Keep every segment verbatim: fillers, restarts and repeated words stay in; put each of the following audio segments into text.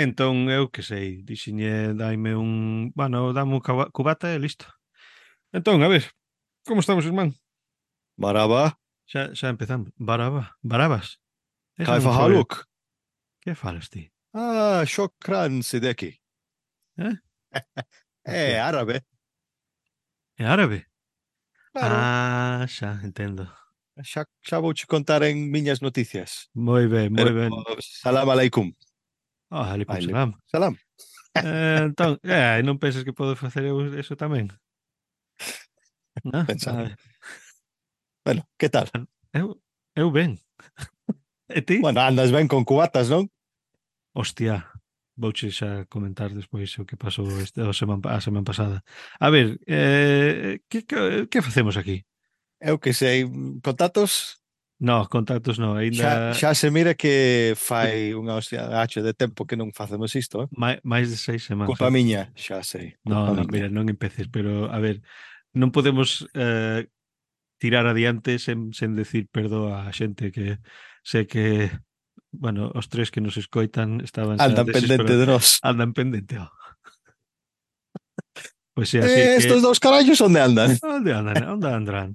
Entón, eu que sei, dixiñe, daime un... Bueno, dame un caba- cubata e listo. Entón, a ver, como estamos, irmán? Maraba, Xa, xa empezamos. Baraba, Barabas. Esa non Kaifa foi... Haluk. Que falas ti? Ah, Shokran Sideki. Eh? O É que? árabe, É árabe? claro. Ah, xa, entendo. Xa, xa vou te contar en miñas noticias. Moi ben, Pero moi ben. salam aleikum. Oh, alaikum Aleikum salam. salam. Eh, entón, eh, non pensas que podo facer eu eso tamén? Non? A Pensando. ver, Bueno, que tal? eu, eu ben. E ti? Bueno, andas ben con cubatas, non? Hostia, vouche xa comentar despois o que pasou este, a semana, a semana pasada. A ver, eh, que, que, que facemos aquí? Eu que sei, contactos. No, contactos no, Xa, aínda xa se mira que fai unha hostia H de tempo que non facemos isto, eh? máis, máis de seis semanas. Culpa miña, xa sei, No, culpa no, miña. mira, non empeces, pero a ver, non podemos eh, tirar adiante sen, sen decir perdoa a xente que sé que, bueno, os tres que nos escoitan estaban xa Andan pendente desesperados, de nós. andan pendente, oh. Pois é, así Eh, que estos dous carallos onde andan? onde andan, onde andarán?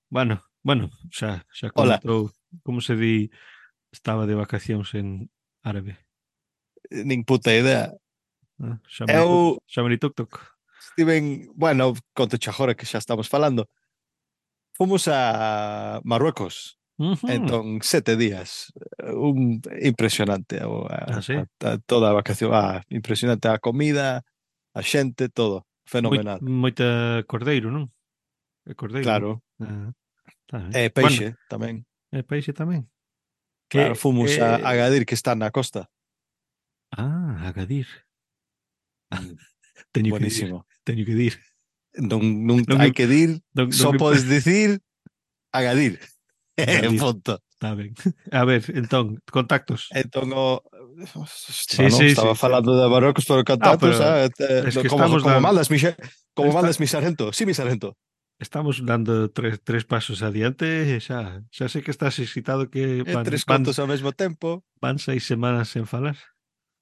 Bueno, bueno, xa, xa Hola, comentou, como se di, estaba de vacacións en árabe. nin puta idea. Ah, Xamari tuk, Eu xamari tuk tuk. estiven, bueno, conto agora que xa estamos falando. Fomos a Marruecos. Ujú. Entón, sete días. Un impresionante o, Ah, a, a, sí? a, toda a vacación. Ah, impresionante a comida, a xente, todo. Moi, Fenomenal. moita cordeiro, non? É cordeiro, non? Claro. Ah, tá ben. E Bueno, peixe tamén. é peixe tamén. Que Claro, fomos a eh, Agadir, que está na costa. ah, Agadir. Mm, Teño que dir, buenísimo. teño que dir. Non, non Non, hai im- que dir, non, non, só im- podes dicir Agadir. Agadir. Punto. Está ben. A ver, entón, contactos. Entón, o... Sí, Bueno, sí, estaba sí, sí. falando de Marrocos por Ah, contactos, pero ah, te- es que como, estamos como dando mandas, mi, xe- como está, mandas, mi sargento. Sí, mi sargento. estamos dando tres, tres pasos adiante e xa, xa sei que estás excitado que E van, tres van, contos ao mesmo tempo. van seis semanas sen falar.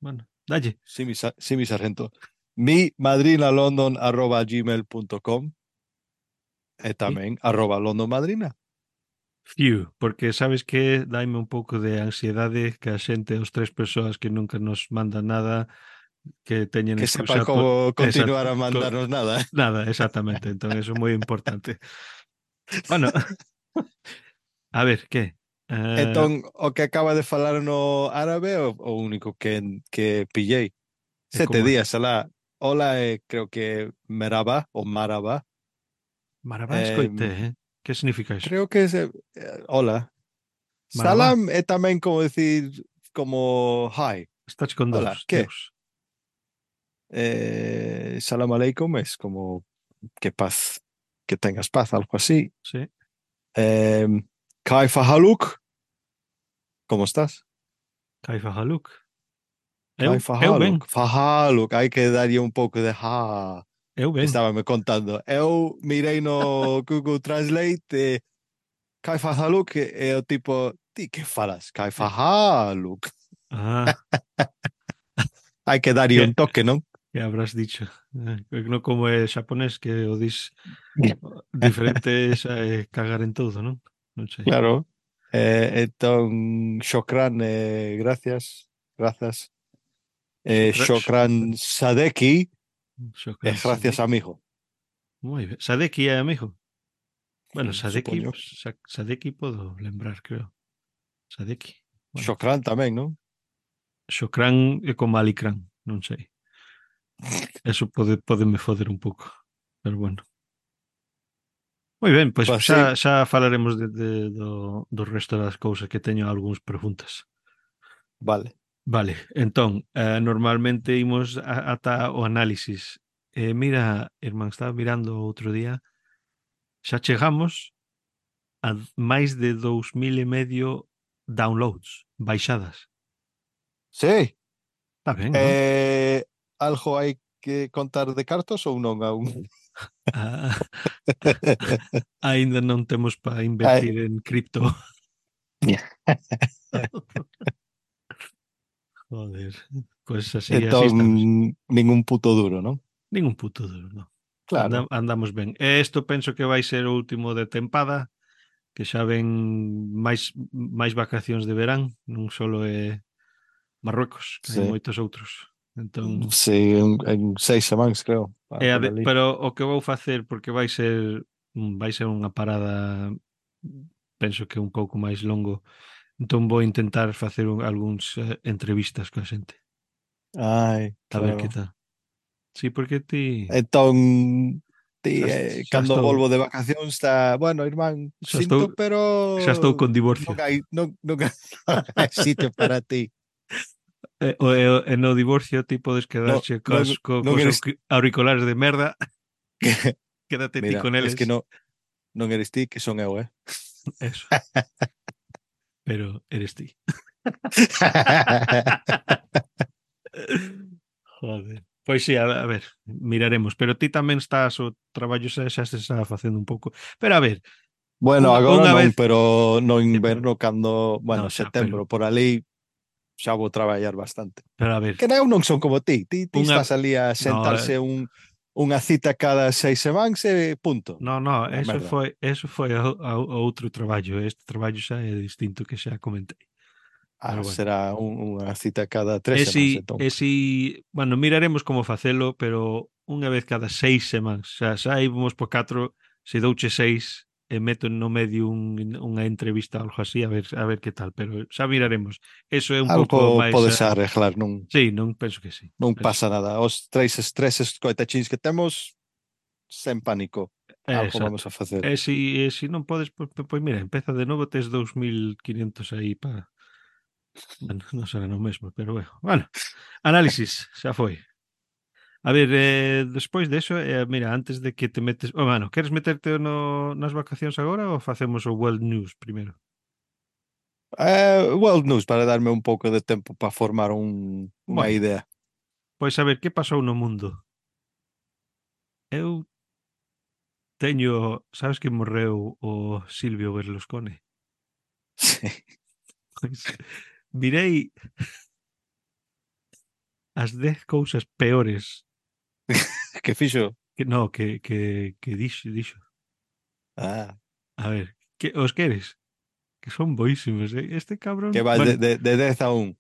Bueno, dalle. Sí, mi, sa- sí, mi sargento. Mi madrina london arroba gmail punto com e Sí. tamén arroba london madrina. Fiu, porque sabes que daime un pouco de ansiedade que a xente, os tres persoas que nunca nos mandan nada, que teñen Que sepan excusa por... como Exacto, continuar a co- mandarnos nada. nada, exactamente, entón eso é moi importante. Bueno, a ver, que? Eh, Entón, o que acaba de falar no árabe é o, o único que, que pillei. é Sete como é? días alá. Hola, eh, creo que Meraba o Maraba. Marabá Eh, escoite, eh? Que significa eso? creo que é eh, hola. Marabá, Salam é tamén como decir como hi. estás con Hola, Deus, ¿qué? Deus. Eh, salam aleikum es como que paz, que tengas paz, algo así. Sí, Eh, Kaifa haluk, ¿cómo estás? Caifa Haluk. Eu, Kaifa eu haluk, ben, fahaluk, hai que darlle un pouco de ha. eu ben. Estaba me contando. Eu mirei no Google Translate e Kaifa haluk e o tipo, ti que falas? Kaifa haluk. Ah, Hai que darlle que, un toque, non? que habrás dicho? Eh, non como é xaponés que o dis diferente xa é cagar en todo, non? Non sei. Claro. Eh, entón, Shokran, eh, gracias, grazas. Eh, Shukra, sh- Shokran Sadeki, eh, Shukran gracias, Sadeki. amigo. Moi ben. Sadeki é amigo. Bueno, Mm, Sadeki, supoño. Sa- Sadeki podo lembrar, creo. Sadeki. Bueno, Shokran tamén, non? Shokran é como Alicran, non sei. Eso pode, pode me foder un pouco. Pero bueno. Moi ben, pois Pues xa, sí, xa falaremos de, de, do, do resto das cousas que teño algúns preguntas. vale. Vale, entón, eh, normalmente imos a, ata o análisis. Eh, mira, irmán, estaba mirando outro día, xa chegamos a máis de dous mil e medio downloads, baixadas. Sí. Está ben, non? Eh, algo hai que contar de cartos ou non aún? Ah, aínda non temos para Ai. invertir en cripto. Joder. Pois así, así estamos. Entón, ningún puto duro, non? Ningún puto duro, non. Anda, Claro, andamos ben. E isto penso que vai ser o último de tempada, que xa ven máis máis vacacións de verán, non solo é Marruecos, que hai sí. moitos outros. Entón, Sí, en, en seis semanas, creo, é pa- a por de, ali. pero o que vou facer porque vai ser mm, vai ser unha parada penso que un pouco máis longo. Entón vou intentar facer un, algúns eh, entrevistas coa xente, Ai, a ver que claro. tal. Sí, porque ti Entón, ti, xa, eh, xa cando estou volvo de vacacións está, bueno, irmán, xa estou sinto, xa estou pero con divorcio. non hai, non, non hai sitio para ti. E, o, e, o- e no divorcio ti podes Non, quedarche non, cos, co, non cos eres auqui- auriculares de merda, quédate ti Mira, con es eles. que no, non eres ti, que son eu, eh? Eso, pero eres ti. Joder. Pois sí, a, a ver, miraremos, pero ti tamén estás o traballo xa, xa se está facendo un pouco. Pero a ver, Bueno, unha, agora unha non, vez, pero no sí, pero, inverno cando, no, bueno, xa, pero, setembro, por ali, xa vou traballar bastante. pero a ver, Que eu non son como ti. Ti, ti unha, estás ali a no, eh, sentarse un, unha cita cada seis semanas e punto. no, no, A eso merda. foi, eso foi a, a, a outro traballo, este traballo xa é distinto que xa comentei. Ah, Pero bueno. será un, unha cita cada tres E semanas, si, entón. e si, bueno, miraremos como facelo, pero unha vez cada seis semanas. Xa, xa íbamos por catro, se douche seis, e meto no medio un, unha entrevista algo así, a ver, a ver que tal, pero xa miraremos. Eso é un pouco Algo máis... podes Uh, arreglar, non, sí, non penso que sí. non Penso. pasa nada. Os tres estreses coitachins que temos, sen pánico. É, Algo exacto. vamos a facer. E si, e si non podes, pois, pois pues mira, empeza de novo, tes dous mil quinientos aí para... Bueno, non será no mesmo, pero bueno. Bueno, análisis, xa foi. A ver, eh, despois de eso, eh, mira, antes de que te metes... Oh, mano, queres meterte no, nas vacacións agora ou facemos o World News primeiro? Eh, World News, para darme un pouco de tempo para formar un, unha Bueno, idea. pois a ver, que pasou no mundo? Eu teño... Sabes que morreu o Silvio Berlusconi? Sí. Pois mirei as dez cousas peores Que fixo? que no, que, que, que dixo, dixo. Ah, A ver, que os queres? Que son boísimos, eh? Este que cabrón... vas de, Bueno, de, de dez a un.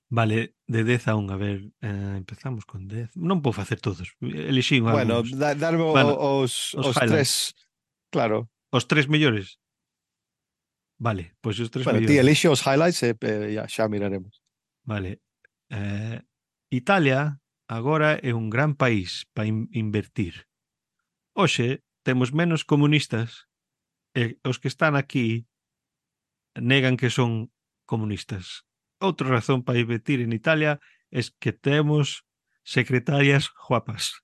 vale, de dez a un, a ver, eh, empezamos con dez. Non vou facer todos, elixín Bueno, algúns. da, darme Bueno, o- os, os os highlights. tres, claro. Os tres mellores. Vale, pois os tres Bueno, ti mellores. elixe os highlights e eh, ya, xa miraremos. Vale. Eh, Italia agora é un gran país para in invertir. Hoxe temos menos comunistas e os que están aquí negan que son comunistas. Outra razón para invertir en Italia é que temos secretarias guapas.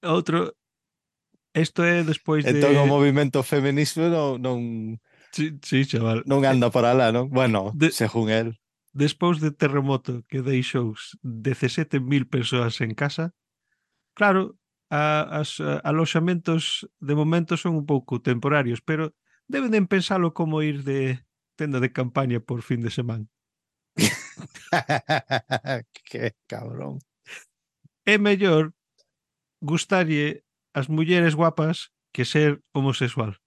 Outro, isto é despois Entón o de... movimento feminista non, non, Sí, sí, chaval. non Eh, anda para lá, non? Bueno, De, según el. despois de terremoto que deixou dezasete mil persoas en casa, claro, a, as a, aloxamentos de momento son un pouco temporarios, pero deben de pensalo como ir de tenda de campaña por fin de semana. Que cabrón. É mellor gustarlle as mulleres guapas que ser homosexual.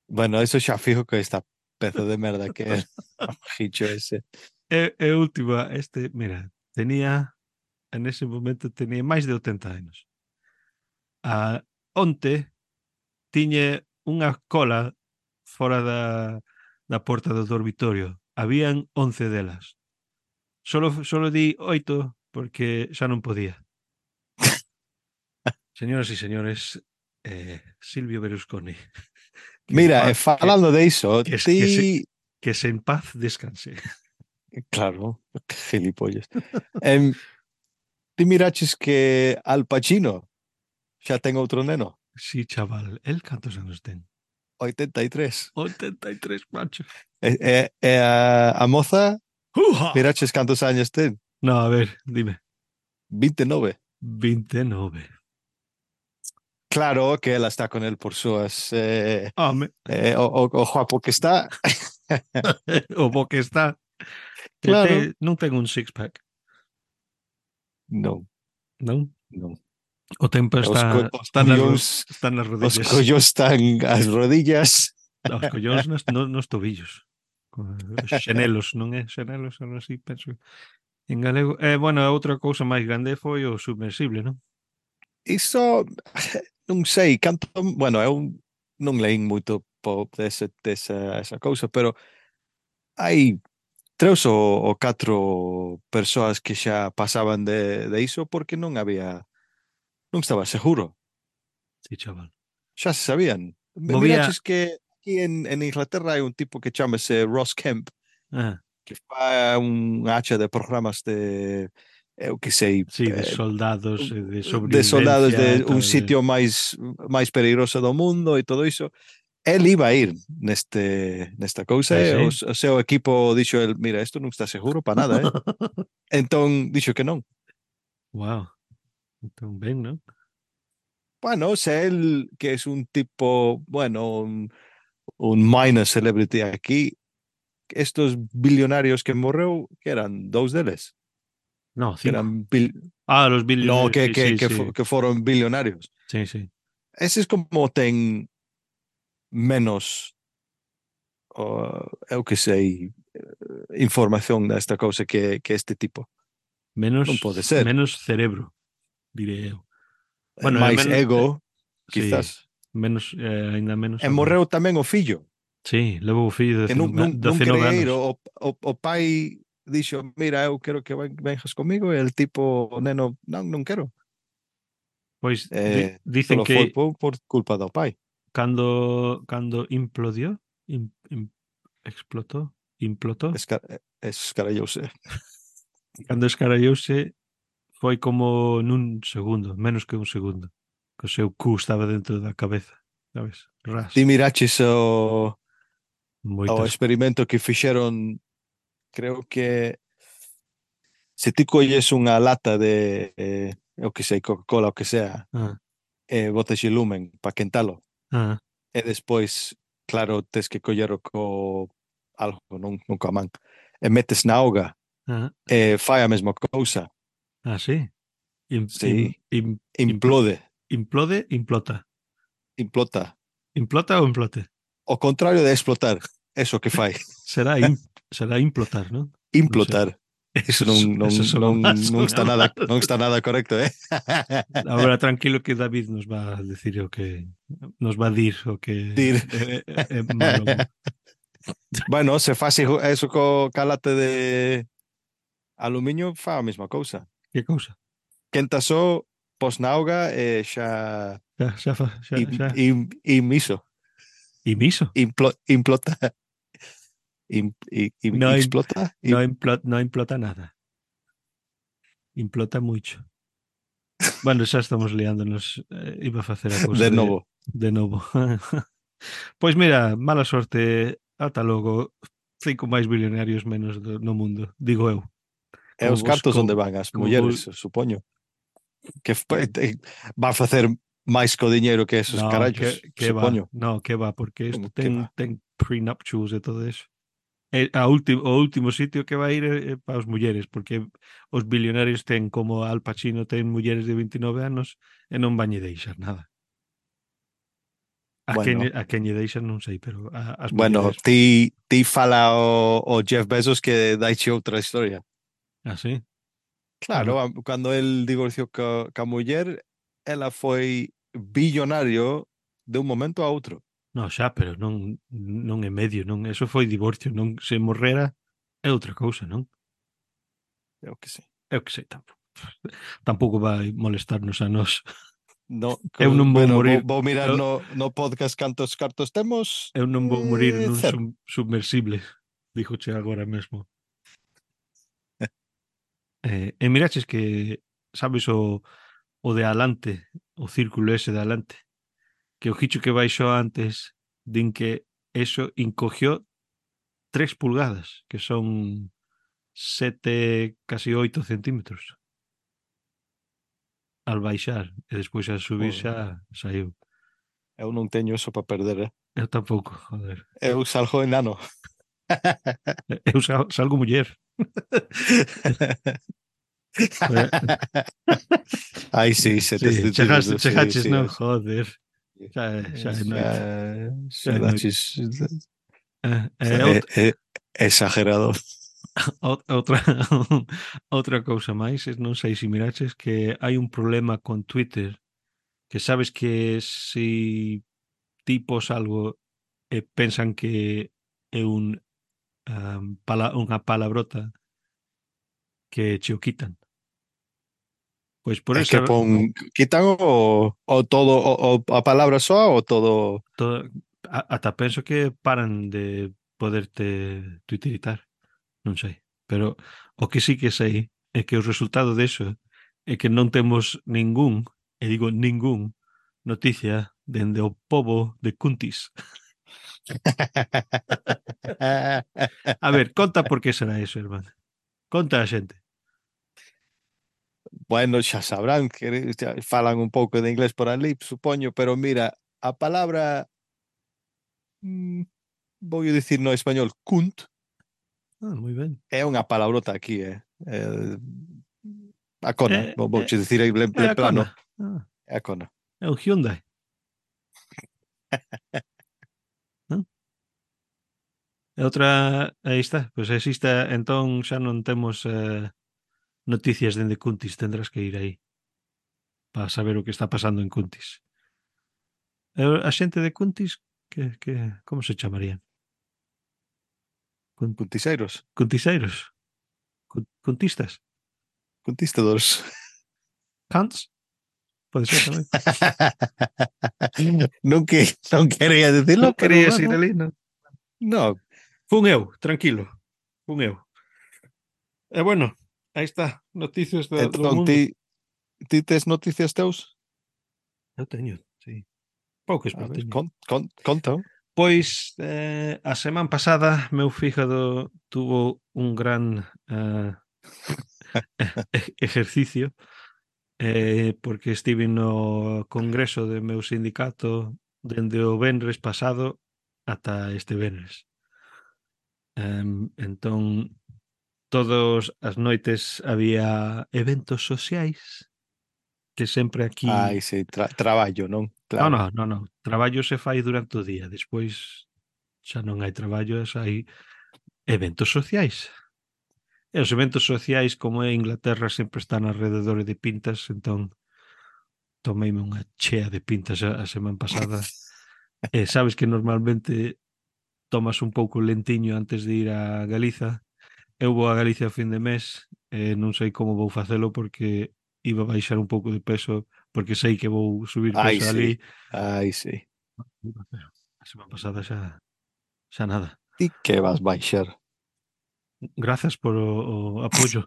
Bueno, eso xa fijo que esta pezo de merda que é o gicho ese. E, e última, este, mira, tenía, en ese momento tenía máis de oitenta anos. A, onte tiña unha cola fora da, da porta do dormitorio. Habían once delas. Solo, solo di oito porque xa non podía. Señoras e señores, eh, Silvio Berlusconi, que en Mira, e paz, que, falando de iso, que, que, se, ti... que se en paz descanse. Claro, que gilipollas. Em, ti miraches que Al Pacino xa ten outro neno? Sí, chaval, el cantos anos ten? oitenta e tres. oitenta e tres, macho. E, e, e a, a moza, ¡Uja! miraches cantos años ten? No, a ver, dime. vinte e nove. veintinueve. Claro que ela está con él por súas... Eh, Home, eh, o, o, o guapo que está. O bo que está. Eh, Claro. te- non ten un six-pack, Non, non? non. O tempo Os, co está, os está, nas, ro- collóns, está nas os rodillas. collóns están ás rodillas. Os collóns nos, nos, nos tobillos. Os xenelos, non é? Xenelos, algo así, penso. En galego. Eh, bueno, a outra cousa máis grande foi o submersible, non? Iso, non sei, canto, bueno, eu non leín moito po dese, desa esa cousa, pero hai tres ou, ou catro persoas que xa pasaban de, de iso porque non había, non estaba seguro, Sí, chaval. xa se sabían. Mi- Movía. Miraches que aquí en, en Inglaterra hai un tipo que chamase Ross Kemp, Ah, que fa un hacha de programas de, eu que sei, sí, de eh, soldados, eh, de de soldados sobrevivencia e de un tal. De... sitio máis máis peligroso do mundo e todo iso. Él iba a ir neste nesta cousa Ah, e o, sí? o seu equipo dixo el, mira, isto non está seguro para nada, eh? Entón dixo que non. Wow. Entón, ben, non? Bueno, se él, que es un tipo, bueno, un, un minor celebrity aquí, estos billonarios que morreu, que eran dous deles, No, que cinco. eran bil... Ah, los no, billonarios, que, sí, que, sí, que, fo- sí. que foron billonarios. Sí, sí. Ese es como ten menos, uh, eu que sei, información desta cousa que, que este tipo. Non pode Menos, ser. menos cerebro, diré eu. É Bueno, é máis menos, eh, ego, sí, quizás. menos, eh, ainda menos E agora. morreu tamén o fillo, Sí, levo o fillo de que non, non, non dezenove quería ir. anos. O, o, o pai dixo, mira, eu quero que ven- venjas comigo, e el tipo, o neno, non, non quero. Pois di- Eh, dicen solo que foi por, por culpa do pai. cando, cando implodió, im- im- explotó, implotó, Esca, escarallouse. cando escarallouse foi como nun segundo, menos que un segundo. Que o seu cu estaba dentro da cabeza, sabes? Ras. Ti miraches o, o Moitas. experimento que fixeron, creo que se ti colles unha lata de, eh, eu que sei, Coca-Cola, o que sea, Ah, e botas lumen para quentalo, ah, e despois, claro, tes que collero co algo, non, non coa man, e metes na auga, ah, e fai a mesma cousa, ah, sí. Im, im, sí, im, impl- implode, implode, implota. implota. Implota ou implote? O contrario de explotar, eso que fai, Será, im, será implotar, non? Non sei. implotar. Eso, Eso non, so- non, eso sona non, mal, non sona está nada, mal. non está nada correcto, eh? Ahora tranquilo que David nos va a decir o que nos va a dir o que Dir. é, é, é malo. Bueno, se faz eso co calate de aluminio, fa a mesma cousa. Que cousa? Quenta só, pos na auga e xa Xa, xa, fa- xa, im, xa. im, im iso, Imiso? implo, implota, im, im, im, No, im- explota, no, im, implota, no implota nada. Implota mucho. Bueno, xa estamos liándonos. Eh, iba a facer a cousa de de, novo. de novo. Pois mira, mala sorte. Ata logo. Cinco máis billonarios menos do, no mundo, digo eu. E Como os vos, cartos onde como, van as como mulleres, vos, supoño. Que f- te- va a facer máis co diñeiro que esos no, carallos, que, que va, supoño. no, que va, porque isto Como que ten, va? ten prenuptials e todo eso. E a último, o último sitio que vai ir é, é para as mulleres, porque os billonarios ten como Al Pacino ten mulleres de veintinueve anos e non van lle deixar nada. A quen, Bueno, a quen lle deixan non sei, pero a, as bueno, mulleres, ti, ti fala o, o Jeff Bezos que daiche outra historia. así. Claro, Bueno, a- cando el divorciou ca, ca muller, ela foi billonario de un momento a outro. no, xa, pero non, non é medio, non, eso foi divorcio, non se morrera é outra cousa, non? Eu que sei. Eu que sei, tampouco. Tampouco vai molestarnos a nós. No, Eu co- non vou bueno, morir, vou, vou mirar eu, no, no podcast cantos cartos temos. eu non vou morir Eh, nun cero. sub, submersible, díjoche agora mesmo. Eh, e miraches que, sabes, o, o de alante, o círculo ese de alante, que o gicho que baixou antes, din que eso encogió tres pulgadas, que son sete, casi oito centímetros, al baixar, e despois a subir Joder, xa saiu. eu non teño eso para perder, eh? Eu tampouco, joder. Eu salgo enano. Eu sal, salgo muller. Eh, Ai, sí, se tes sí, chegaste, detido, sí, chegaches, sí. non? Es, Joder, xa é, xa é xa, noite, xa xa é noite. daches Eh, eh, é, out- é exagerado. out- outra outra cousa máis, es non sei se miraches que hai un problema con Twitter, que sabes que si tipos algo e pensan que é un um, pala, unha palabrota que che o quitan. Pois por É esa que pon, quitan o, o todo, o, o a palabra soa ou todo. todo, a, ata penso que paran de poderte tuitiritar, non sei. Pero o que sí que sei é que o resultado deso é que non temos ningún, e digo ningún, noticia dende o pobo de Cuntis. A ver, conta por que será eso, irmán. Conta a xente. Bueno, xa sabrán que xa falan un pouco de inglés por ali, supoño, pero mira, a palabra, mm, vou dicir no español, cunt, Ah, moi ben. é unha palabrota aquí, eh. Eh, a cona, É, vou, é, vouche dicir en, é en a plano, cona. Ah, é a cona. é un Hyundai. Non? E outra, aí está, pois exista, entón xa non temos eh, noticias dende Cuntis, tendrás que ir aí para saber o que está pasando en Cuntis. E a xente de Cuntis, que, que, como se chamarían? Cun, Cuntiseiros, cuntiseiros? Cun, cuntistas? cuntistadores. Cunts? Pode ser tamén. non, que, non quería Non decirlo, pero querías ir bueno, ali, non? no. Fun eu, tranquilo. Fun eu. E bueno, aí está, noticias do, do Entón, mundo. ti, ti tes noticias teus? Eu teño, sí. Poucas, A pero ver, teño. con, con, conta. Pois eh, a semana pasada meu fígado tuvo un gran eh, e- ejercicio eh, porque estive no congreso do meu sindicato dende o venres pasado ata este venres. Em, entón, todas as noites había eventos sociais que sempre Ai, aquí... sí, tra, traballo, non? No, Claro. no, no, no. Traballo se fai durante o día. Despois xa non hai traballo, xa hai eventos sociais. E os eventos sociais, como é Inglaterra, sempre están alrededor de pintas, entón tomeime unha chea de pintas a, a semana pasada. E sabes que normalmente tomas un pouco lentiño antes de ir a Galiza. Eu vou a Galicia a fin de mes e non sei como vou facelo porque iba a baixar un pouco de peso porque sei que vou subir Ai, peso sí. ali. Ai, sí. Pero a semana pasada xa, xa nada. Ti que vas baixar? Grazas por o, o apoio.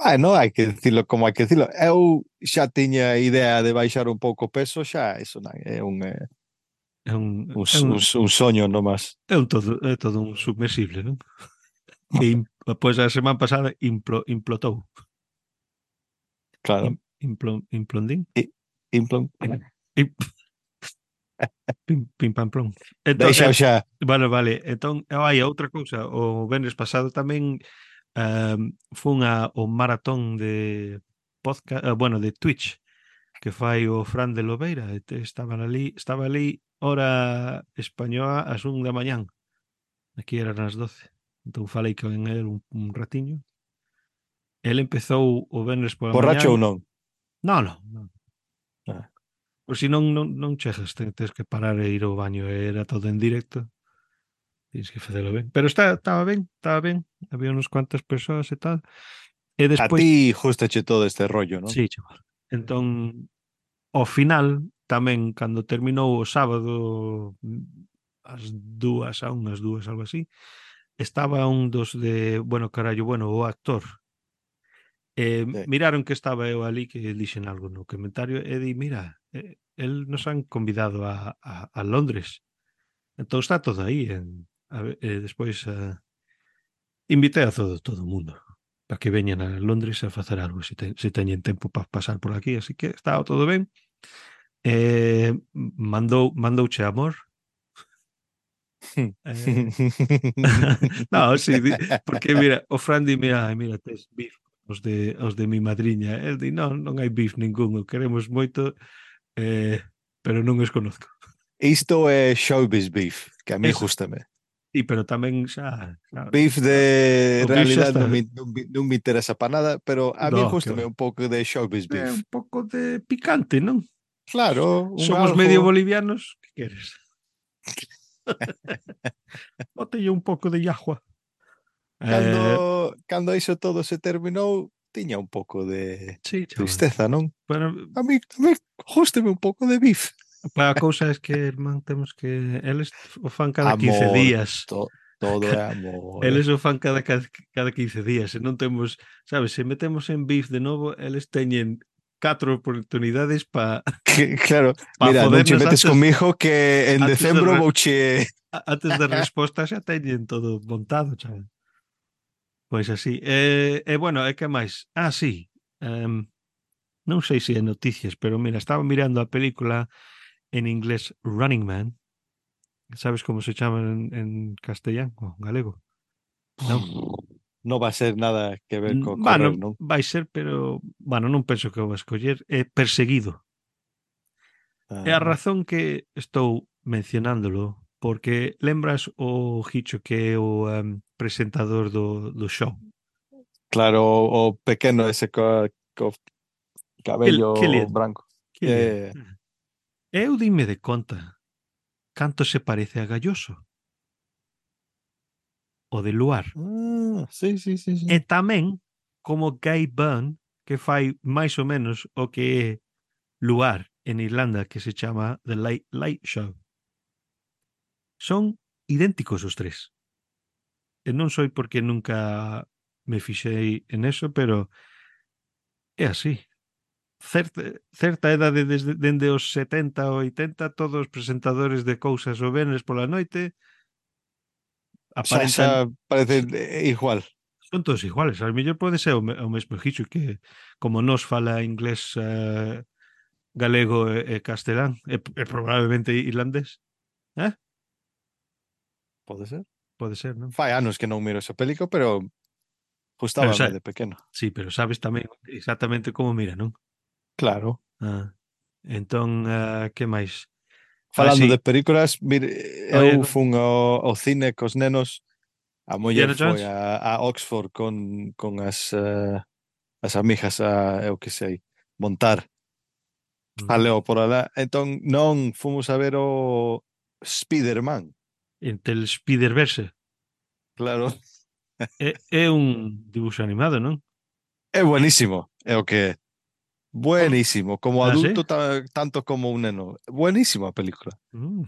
Bueno, hai que dicilo como hai que dicilo. Eu xa tiña idea de baixar un pouco o peso, xa eso non, é un, eh, É un, un, é un, un, un soño nomás. é un todo, é todo un submersible, non? Que im, pois a semana pasada implo, implotou. Im, Claro. implo, implondín? I, implon. Im, pim, pim pam plom. Entón, Deixa eh, xa. vale, vale. Entón, eh, hai outra cousa. O venres pasado tamén um, fun a, o maratón de podcast, uh, bueno, de Twitch que fai o Fran de Lobeira. E te- Estaban ali, estaba ali hora española ás un da mañán. Aquí eran as doce. Entón falei con el un, un ratiño. El empezou o venres pola Borracho ou mañán. non? Non, non, non. Ah. Por si non, non, non chegas, te- tens que parar e ir ao baño. Era todo en directo. Tens que facelo ben. Pero está, estaba ben, estaba ben. Había unas cuantas persoas e tal. E A despois, ti justache todo este rollo, non? sí, chaval. Entón, ao final, tamén, cando terminou o sábado, mm, as dúas, a unhas dúas, algo así, estaba un dos de, bueno, carallo, bueno, o actor. Eh, Sí. miraron que estaba eu ali, que dixen algo no comentario, e di, mira, eh, el nos han convidado a, a, a Londres. Entón está todo aí. En, a, ver, eh, despois eh, invitei a todo, todo o mundo para que veñan a Londres a facer algo se, te, se teñen tempo para pasar por aquí, así que estaba todo ben. Eh, mandou, mandouche amor. Eh, no, sí, di- porque mira, o Fran dime, ai, mira, tes beef os de, os de mi madriña. El di, non, non hai beef ninguno, queremos moito, eh, pero non os conozco. Isto é showbiz beef, que a mí Eso, gustame. sí, pero tamén xa, xa Beef de o beef xa realidad está, non me, non me, non me interesa para nada, pero a mí no, que gustame va. un pouco de showbiz É beef. un pouco de picante, non? Claro, un Somos medio algo. bolivianos, que queres? Botelle un pouco de agua. Eh, Cando, cando iso todo se terminou, tiña un pouco de sí, chaval. tristeza, non? Pero A mí, a mí gústame un pouco de beef. a cousa é que, irmán, temos que eles o fan cada quince Amor, días. to- todo é amor, eh. Eles o fan cada, cada, cada quince días. E non temos, sabes, se metemos en beef de novo, eles teñen catro oportunidades para Que, claro, pa mira, non che fodernos metes antes comigo que en antes de decembro re- vouche. antes da resposta xa teñen todo montado, chaval. Pois así. E, e bueno, e que máis? Ah, sí. Um, non sei se é noticias, pero mira, estaba mirando a película en inglés Running Man. Sabes como se chama en, en castellán o galego? Non? No va a ser nada que ver co correr, Bueno, non? vai ser, pero bueno, non penso que o va a escoller. É Perseguido. E a Ah, razón que estou mencionándolo porque lembras o Hicho que é o um, presentador do, do show? claro, o, o pequeno ese co, co Kill, cabello Killian. branco. Killian. Eh, Eu dime de conta canto se parece a Galloso, o de Luar. ah, sí, sí, sí, E sí. tamén como Guy Byrne, que fai máis ou menos o que é Luar en Irlanda, que se chama The Late Late Show. Son idénticos os tres. E non sei porque nunca me fixei en eso, pero é así. Certa, certa edade desde dende os setenta ou oitenta, todos os presentadores de cousas o venres pola noite Xa, xa aparentan parece eh, igual. son todos iguales. Al mellor pode ser o, me, o mesmo Hicho que como nos fala inglés, eh, galego e, e castelán e, e probablemente irlandés. Eh? Pode ser. Pode ser, non? Fai anos que non miro esa película, pero Pero gustábame sa, de pequeno. sí, pero sabes tamén exactamente como mira, non? Claro. Ah, entón, uh, que máis? Ah, Falando de sí, películas, mire, oye, eu fun ao, ao cine cos nenos. A muller Indiana foi Jones? a, a Oxford con, con as, eh, as amigas a, eu que sei, montar Mm. jaleo por alá. Entón non fomos a ver o Spider-Man. Entre el Spider-Verse. Claro, É, é un dibuixo animado, non? é buenísimo, é o que é. Hom- Buenísimo, como Ah, sí? adulto ta- tanto como un neno. Buenísima a película. Mm.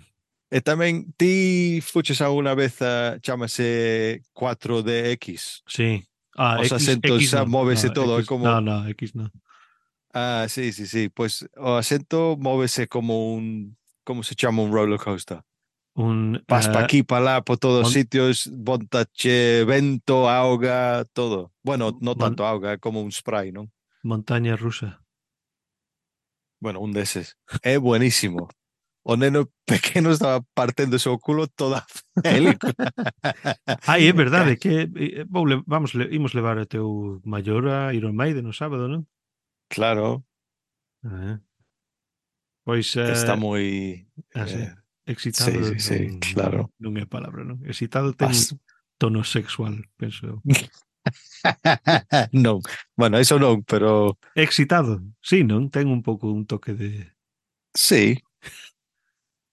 E tamén ti fuches alguna vez a chamase cuatro D X. Sí. Ah, Os X, asentos X xa no. móvese No, todo, é X, como. no, no, X no. Ah, sí, sí, sí. Pues o asento móvese como un, ¿cómo se llama? Un roller coaster. Un Vas pa eh, aquí, pa lá, por todos mon, sitios, bontache, vento, auga, todo. Bueno, no mon, tanto auga, é como un spray, ¿no? montaña rusa. Bueno, un deses. É buenísimo. O neno pequeno estaba partendo o culo toda a película. Ai, é verdade que eh, vou le, vamos, le, imos levar a teu maior a Iron Maiden no sábado, non? Claro, Ah, pois, está eh, moi. ah, sí. eh, sí, Excitado sí, non, sí, non, claro. non é a palabra, non? Excitado ten un Pas. tono sexual, penso eu. Non, bueno, eso non, pero Excitado, sí, non? Ten un pouco un toque de sí,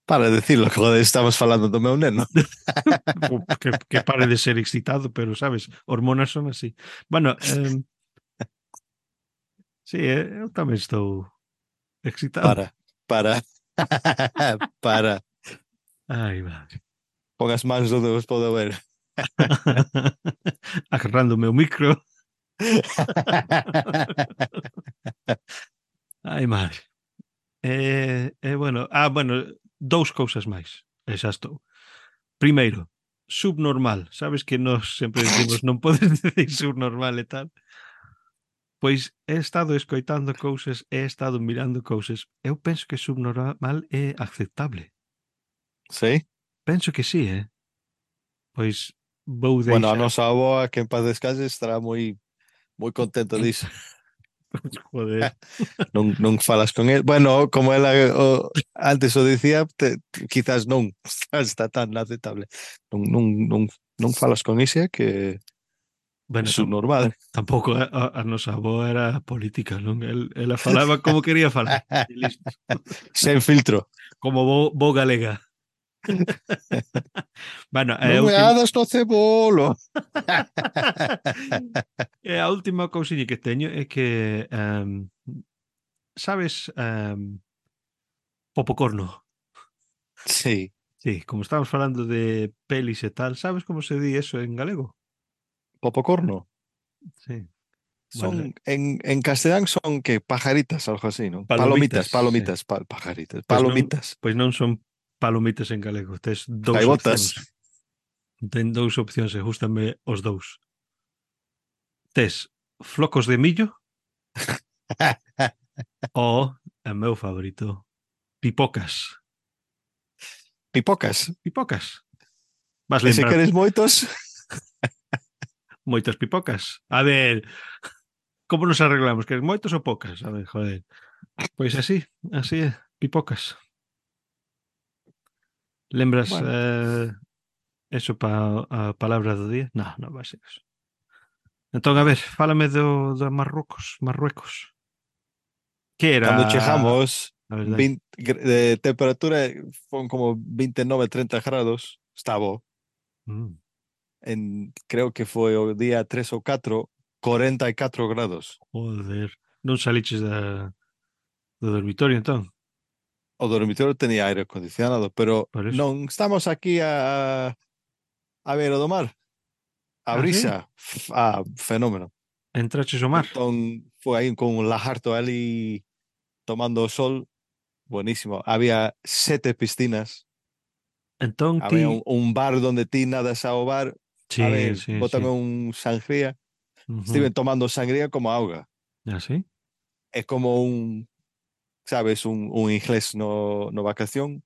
para decirlo, joder, estamos falando do meu neno. que, que pare de ser excitado, pero sabes, hormonas son así. Bueno, eh, sí, eh, eu tamén estou excitado. Para, para, para. Ai, madre. Pon as mans onde os podo ver. Agarrando o meu micro. Ai, madre. Eh, eh, bueno, ah, bueno, dous cousas máis. E xa estou. Primeiro, subnormal. Sabes que nós sempre decimos non podes decir subnormal e tal. Pois he estado escoitando cousas, he estado mirando cousas. Eu penso que subnormal é aceptable. Sí? Penso que sí, eh? Pois vou Bueno, a deixar. nosa avoa, que en paz descanse, estará moi moi contenta disso. Joder. Non, non falas con el. Bueno, como ela o, antes o dicía, te, quizás non está tan aceptable. Non, non, non, non falas con ese que é Bueno, su tam, normal. tampouco a, a, a nosa avó era política, non? El, ela falaba como quería falar. E listo. Sen filtro. Como bo, bo galega. Bueno, é Non a me última hadas no cebolo. é a última cousiña que teño é que um, sabes um, Popocorno. Sí, Sí, como estamos falando de pelis e tal, sabes como se di eso en galego? popocorno. Sí. Bueno, Son, en, en castellán son que pajaritas, algo así, ¿no? palomitas, Palomitas, sí. palomitas, pa- pajaritas, Pois non, palomitas. pois non son palomitas en galego, tes dous Gaivotas. opcións. Ten dous opcións e gústame os dous. Tes flocos de millo ou, o meu favorito, pipocas. Pipocas. Pipocas. Vas E se lembrar queres moitos, moitas pipocas. A ver, como nos arreglamos? Queres moitos ou pocas? A ver, joder. Pois así, así é, pipocas. Lembras bueno, eh, eso para a palabra do día? No, non vai ser eso. Entón, a ver, no. fálame do, do Marrocos, Marruecos. Que Cando era, chegamos, a verdade? veinte, gr- de temperatura fueron como veintinueve, treinta grados. Estaba Mm, en, creo que foi o día tres ou catro, cuarenta y cuatro grados. joder. Non saliches da, do dormitorio, entón? O dormitorio tenía aire acondicionado, pero Por eso. non estamos aquí a, a ver o do mar. A Ah, sí? brisa, f- ah, fenómeno. Entraches ao mar. Entón foi aí con un lajarto ali tomando o sol, buenísimo. Había sete piscinas, Entón había un, ti... un bar donde ti nadas ao bar, a Sí, ver, sí, bótame sí. un sangría. Ujú. Estiven tomando sangría como auga. Ah, sí? É como un, sabes, un, un inglés no, no vacación.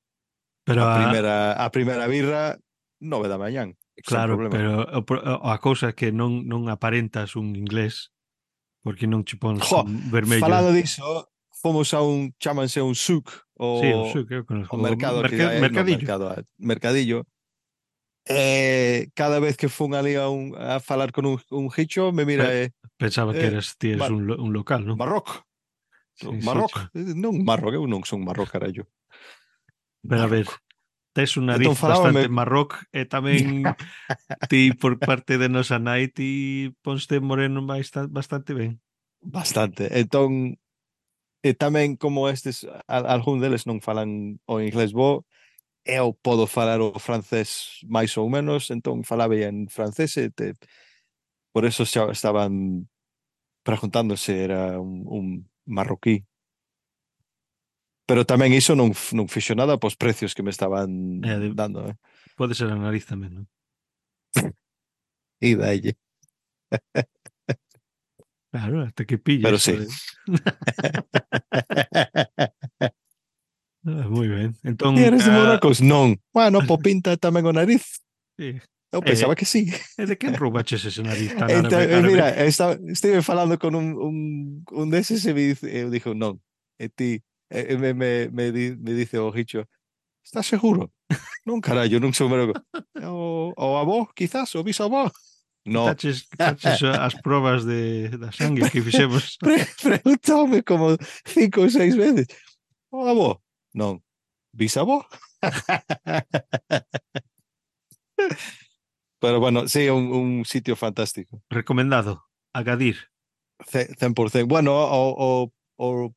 Pero A a, primeira, a primeira birra, nove da mañán, sen claro, problema. pero o pro- a cousa é que non non aparentas un inglés porque non che pons Jo, con vermello. falando diso, fomos a un, chámanse un souk, Sí, o o, sí, que eu conozco. o O mercado aquí, merca- hai no mercadillo. mercado, mercadillo. Eh, cada vez que fun ali a, un, a falar con un, un hicho, me mira, Pe- eh, Pensaba que eh, eras ti eres Mar un, lo- un local, non? Marroc, Sí, sí, Marroc, cho. Eh, non Marroc, eu non son Marroc, carallo. Pero a ver, Marroc. tes un Entón nariz bastante falábame, marroc e tamén ti por parte de nosa nai ti ponste moreno bastante, bastante ben. bastante. Entón, e tamén como estes, al, algún deles non falan o inglés bo, eu podo falar o francés máis ou menos, entón falaba en francés e te, por eso xa estaban preguntando se era un, un marroquí. Pero tamén iso non, f- non fixo nada pos precios que me estaban E de, dando, eh? pode ser a nariz tamén, non? E dalle. Claro, hasta que pilles, Pero sí. joder. Ah, moi ben. E Entón, eres de ah, Marrocos? Non. Bueno, po pinta tamén o nariz. sí. Eu E, pensaba que sí. e de quen roubaches ese nariz tan Entón, árabe, eh, árabe? mira, estaba, estive falando con un, un, un deses e me dice, eu dixo, non. E ti, e, e me, me, me, di, me dice o Richo, estás seguro? Non, carallo, non sou Marrocos. O, o avó, quizás, o bisavó. No. Quitaches, quitaches as probas de, da sangue que fixemos. Pre Preguntoume como cinco ou seis veces. O avó? Non. Bisavó? Pero bueno, sí, un, un sitio fantástico. Recomendado. Agadir. Ce- cien por ciento. Bueno, o, o, o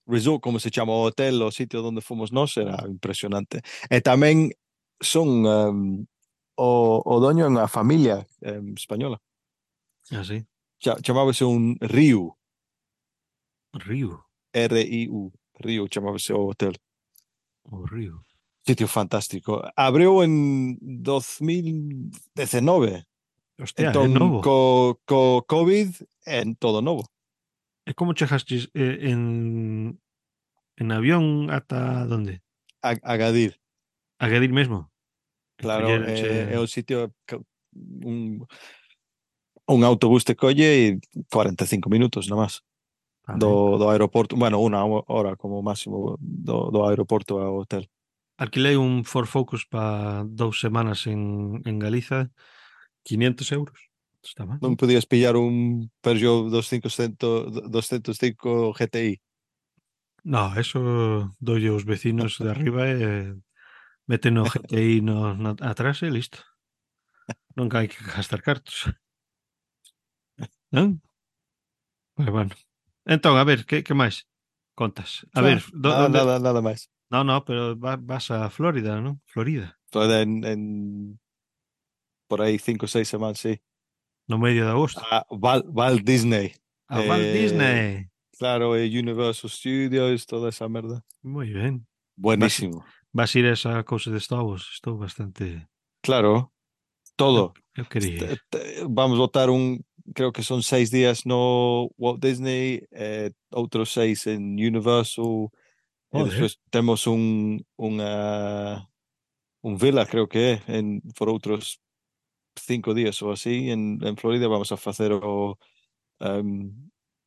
resort, como se chama, o hotel, o sitio donde fomos nós, era impresionante. E tamén son um, o, o doño en a familia um, española. Así. Cha, chamábase un Río, Río. R I U, Río chamábase o hotel. O río. Sitio fantástico. Abriu en dos mil diecinueve. Hostia, é Entón, novo. co, co COVID, en todo novo. E como chegastes eh, en, en avión ata donde? A, Agadir. Agadir mesmo. Claro, é, é Colleronche... o sitio que un, un autobús te colle e cuarenta e cinco minutos nomás A ver. do, do aeroporto, bueno, unha hora como máximo do, do aeroporto ao hotel. Alquilei un Ford Focus para dous semanas en, en Galiza, quinientos euros. Está mal, Non non? podías pillar un Peugeot doscientos, doscientos cinco G T I. No, eso doy aos vecinos de arriba e meten o G T I no, no, atrás e listo. Non hai que gastar cartos. Non? Pues bueno. Entón, a ver, que, que máis contas? A ver, Nada, do, nada, onde... nada, nada máis. No, no, pero va, vas a Florida, non? Florida, Todo en, en por aí cinco ou seis semanas, sí. no medio de agosto. A Val, Val Disney. A Walt Eh, Disney. claro, eh, Universal Studios, toda esa merda. Moi ben. Vas, Buenísimo. vas ir a esa cousa de Star Wars. Estou bastante... Claro, Eu, todo. eu quería ir. Este- este- Vamos votar un, creo que son seis días no Walt Disney, eh, outros seis en Universal, e Joder. despois temos un, unha, un villa, creo que é, en, por outros cinco días ou así, en, en Florida vamos a facer o, um,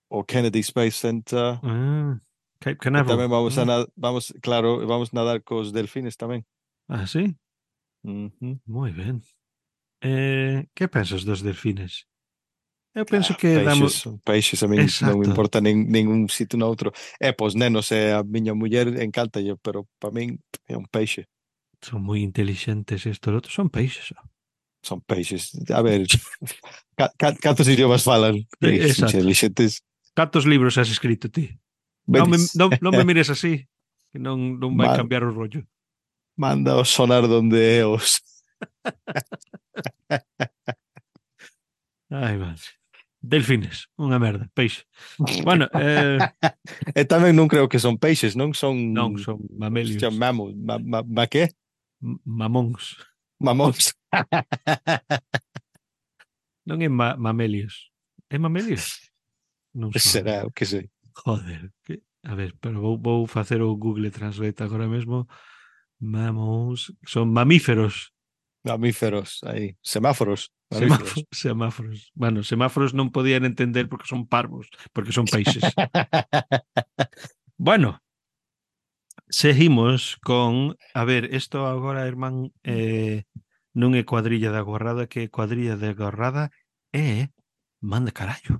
o Kennedy Space Center, Ah, Cape e Canaveral, tamén vamos a non? nadar, vamos, claro, vamos nadar cos delfines tamén. Ah, sí? Ujú. Moi ben. Eh, que pensas dos delfines? Eu penso Ah, que damos... peixes, peixes a min non me Exacto. importa nin, ningún sitio no outro. É, pois nenos e a miña muller encántalle, pero para min é un peixe. Son moi inteligentes estos outros. Son peixes. Só. Son peixes. A ver, ca, ca, cantos idiomas falan? Eh, Ei, Exacto. inteligentes. Cantos libros has escrito ti? Non me, Vedes, non, non me mires así, que non, non vai Ma- cambiar o rollo. manda o sonar donde é os. Ai, madre. Delfines, unha merda, peixe. Bueno, eh, E tamén non creo que son peixes, non son, non, son hostia, mamelios. mamos, ma, ma, ma que? M- Mamóns. Mamóns. Non é ma mamelios. É mamelios? Non son. Será, o que sei. Joder. Que... A ver, pero vou, vou facer o Google Translate agora mesmo. Mammals. Son mamíferos. Mamíferos, aí. Semáforos, Semáforos. mamíferos. Semáforos. Bueno, semáforos non podían entender porque son parvos, porque son peixes. Bueno, seguimos con... A ver, isto agora, irmán, eh, non é cuadrilla da gorrada, que cuadrilla da gorrada é man de carallo.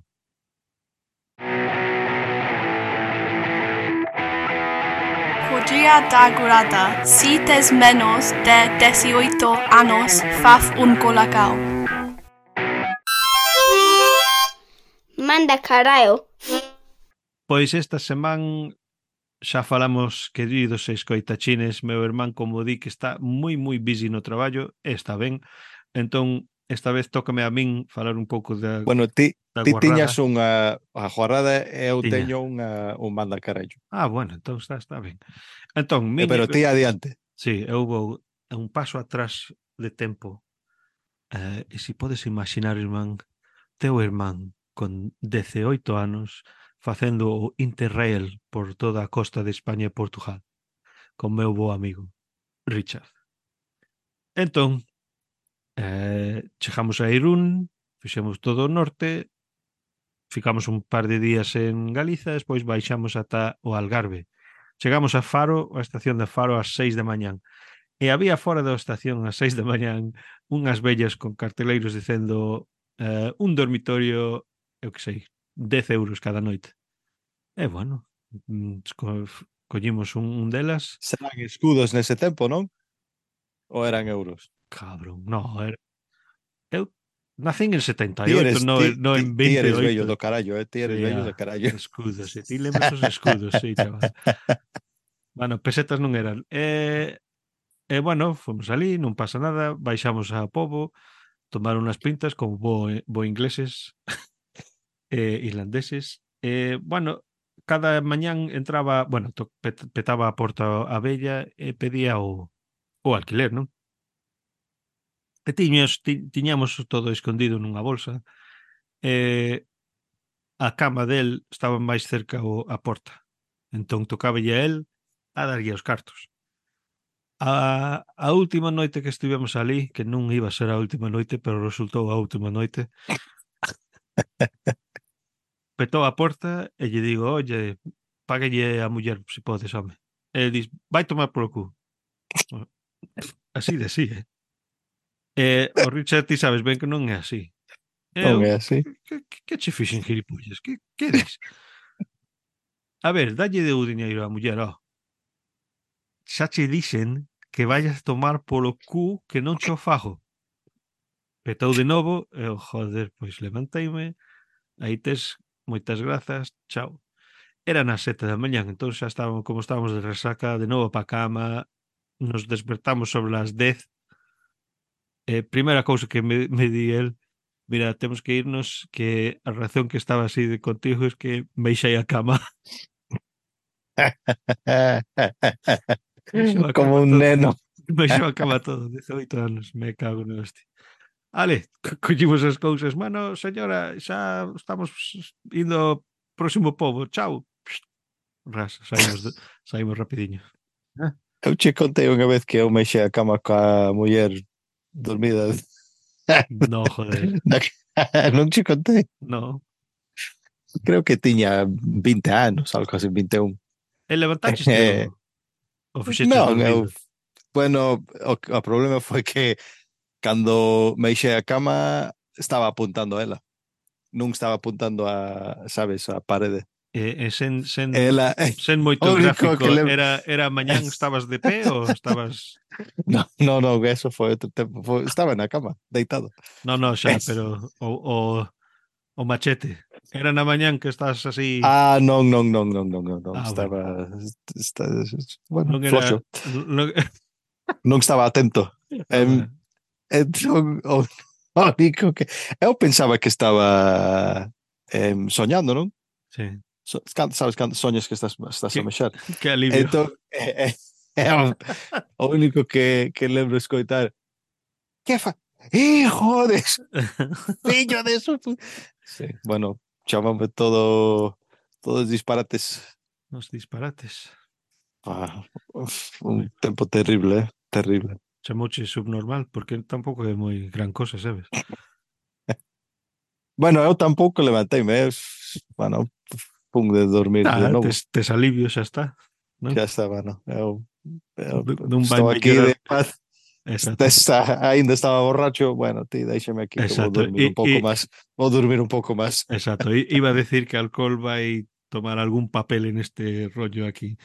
Cuadrilla da Grada. Si tes menos de dieciocho anos, faz un colacao. Manda carallo. Pois esta semana xa falamos, queridos escoitachines, meu irmán, como di, que está moi, moi busy no traballo, e está ben. Entón, esta vez tócame a min falar un pouco da, Bueno, ti, da ti tiñas guarrada. unha a jornada e eu Tiña. teño unha, un manda carallo. Ah, bueno, entón está, está ben. Entón, Eh, miña... pero ti adiante. Sí, eu vou a un paso atrás de tempo. Eh, e se podes imaginar, irmán, teu irmán con dezaoito anos facendo o Interrail por toda a costa de España e Portugal con meu bo amigo Richard. Entón, eh, chegamos a Irún, fixemos todo o norte, ficamos un par de días en Galiza, despois baixamos ata o Algarve. Chegamos a Faro, a estación de Faro, ás seis de mañán. E había fora da estación ás seis de mañán unhas vellas con carteleiros dicendo eh, un dormitorio, eu que sei, dez euros cada noite. E bueno, mm, co- collimos un, un delas. Serán escudos nese tempo, non? Ou eran euros? Cabrón, no, era, eu nacín en setenta Ti e oito, eres, no, ti, no ti, en ti vinte e eres bello oito. do carallo, eh? Ti eres Sí, bello do ah, carallo. escudos, e ti lembras os escudos, sí, chaval. Bueno, pesetas non eran. E, e bueno, fomos ali, non pasa nada, baixamos a Pobo, tomar unhas pintas como bo, bo ingleses e irlandeses. E, bueno, cada mañán entraba, bueno, to, pet, petaba a porta a bella e pedía o, o alquiler, non? E tiños, ti, tiñamos todo escondido nunha bolsa e a cama del estaba máis cerca o, a porta. Entón tocáballe a él a darlle os cartos. A, a última noite que estivemos ali, que non iba a ser a última noite, pero resultou a última noite, petou a porta e lle digo, oye, páguelle a muller se podes, home. E ele dis, vai tomar polo cu. Así de así, eh? E o Richard, ti sabes ben que non é así. Non Eu, é así. que, que, que che fixen, gilipollas? Que, que des? A ver, dalle de o diñeiro á muller, ó. Xa che dixen que vayas tomar polo cu que non che o fago. Petou de novo e eu, joder, pois levanteime, aí tes, moitas grazas, chao. Era nas sete da mañán, entón xa estábamos, como estábamos de resaca, de novo pa cama, nos despertamos sobre as dez. Eh, primeira cousa que me, me di el, mira, temos que irnos, que a reacción que estaba así de contigo es que me ixei a cama. Me ixeu a Como cama un todo. neno. Me ixeu a cama todo, dezoito anos, me cago no hostia. Ale, co- collimos as cousas. Bueno, señora, xa estamos indo ao próximo pobo. Chao. Psst, ras, saímos, de, saímos rapidiño. Eu che contei unha vez que eu mexei a cama coa muller dormida. No, joder. Non che contei. No. Creo que tiña vinte anos, algo así, vinte e un. E levantaste Eh, o, o fixeches non, eu, dormido. bueno, o, o problema foi que cando mexei a cama estaba apuntando a ela. Non estaba apuntando a, sabes, a parede. E, e sen, sen, Ela, sen o moito único que gráfico, le... era, era mañán, estabas de pé ou estabas... No, no, no, eso foi outro tempo. Foi, estaba na cama, deitado. No, no, xa, pero o, o, o machete. Era na mañán que estás así... Ah, non, non, non, non, non, non, non. Ah, bueno. Estaba, está, bueno, Non era... floxo. Non, Non estaba atento. ah, Em, bueno. entón, o, o único que... Eu pensaba que estaba em, soñando, non? Sí. So, can- sabes cando soñas que estás, estás a Que, mexer. que alivio. Entón, é, é, é o, o único que, que lembro escoitar. Que fa? Hijo de... Fillo de su... Sí, bueno, chamame todo... Todos disparates. Os disparates. Ah, uf, un tempo terrible, eh? Terrible. Chamouche subnormal, porque tampouco é moi gran cosa, sabes? Bueno, eu tampouco levanteime, eh? Bueno, pum de dormir de Ah, novo. tes, tes alivio, xa está. Non? Xa está, bueno, eu, eu Non vai estou aquí mellorar. de paz. Exacto. Está, ainda estaba borracho, bueno, ti déixame aquí que vou Exacto. dormir E, un pouco e, máis. Vou dormir un pouco máis. exacto. I- Iba a decir que alcohol vai tomar algún papel en este rollo aquí.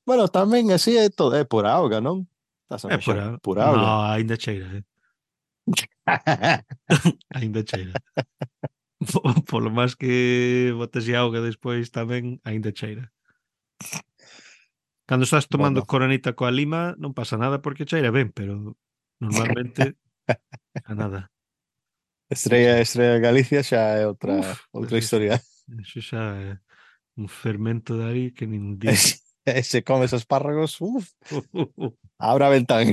Bueno, tamén así é todo, é por auga, non? Estás a É por, mexer a... por No, auga. aínda cheira, eh? Aínda cheira. Polo máis que botes auga despois tamén, aínda cheira. Cando estás tomando Bueno, coronita coa lima non pasa nada porque cheira ben, pero normalmente a nada. Sí, sí. Estrella, Estrella Galicia xa é outra, Uf, outra eso, historia. eso xa é un fermento de aí que nin digo. E se comes espárragos, uf, abra a ventán.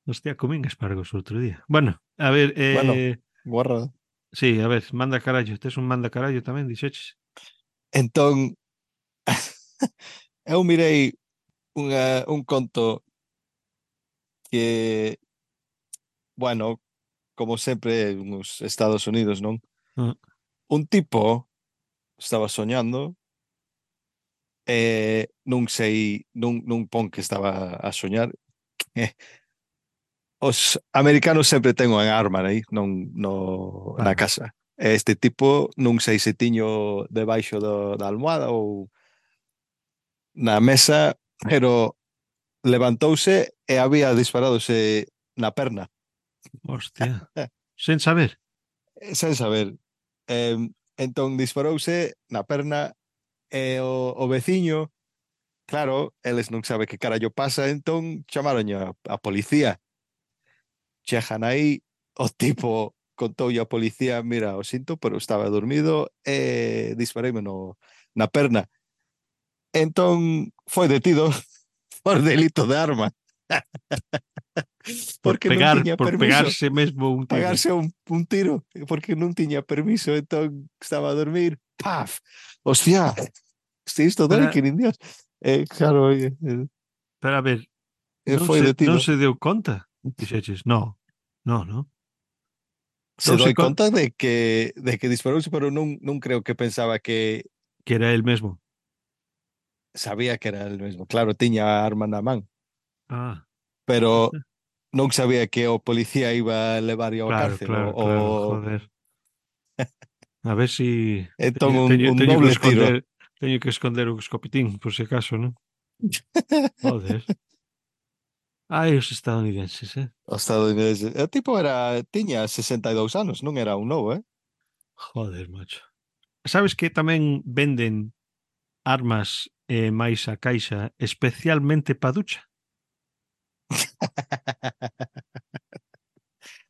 Hostia, comín espargos outro día. Bueno, a ver, Bueno, eh, guarda. sí, a ver, manda carallo. Tes un manda carallo tamén, dixeches? Entón, eu mirei unha, un conto que, bueno, como sempre nos Estados Unidos, non? Ah, Un tipo estaba soñando e non sei, non, non pon que estaba a soñar. Os americanos sempre ten unha arma aí, non no, na claro. casa. Este tipo non sei se tiño debaixo do, da almohada ou na mesa, pero levantouse e había disparadose na perna. Hostia. Sen saber. Eh, Sen saber. Eh, entón disparouse na perna e o, o veciño, claro, eles non sabe que carallo pasa, entón chamaron a, a policía. Chejan aí, o tipo contoulle a policía, mira, o sinto, pero estaba dormido e dispareime no, na perna. Entón foi detido por delito de arma. Por Porque non pegar, tiña por permiso. pegarse mesmo un tiro. Pagarse un, un tiro porque non tiña permiso, entón estaba a dormir, paf, hostia, si isto doi Para, que nin Dios. Eh, claro, eh, eh, Pero a ver, eh, non foi se, non detido. se deu conta? Dixeches, no, no, no. Se Douse doi con conta de que de que disparouse, pero non non creo que pensaba que que era el mesmo. sabía que era el mesmo. Claro, tiña a arma na man, Ah, pero non sabía que o policía iba a levar ao claro, cárcel o, claro, o... claro, joder. A ver si Entón teño, un, teño, un teño que doble tiro. esconder, teño que esconder o escopetín, por si acaso, non? Joder. Ai, os estadounidenses, eh? O estadounidense. O tipo era tiña sesenta e dous anos, non era un novo, eh? Joder, macho. Sabes que tamén venden armas e máis a caixa especialmente pa ducha?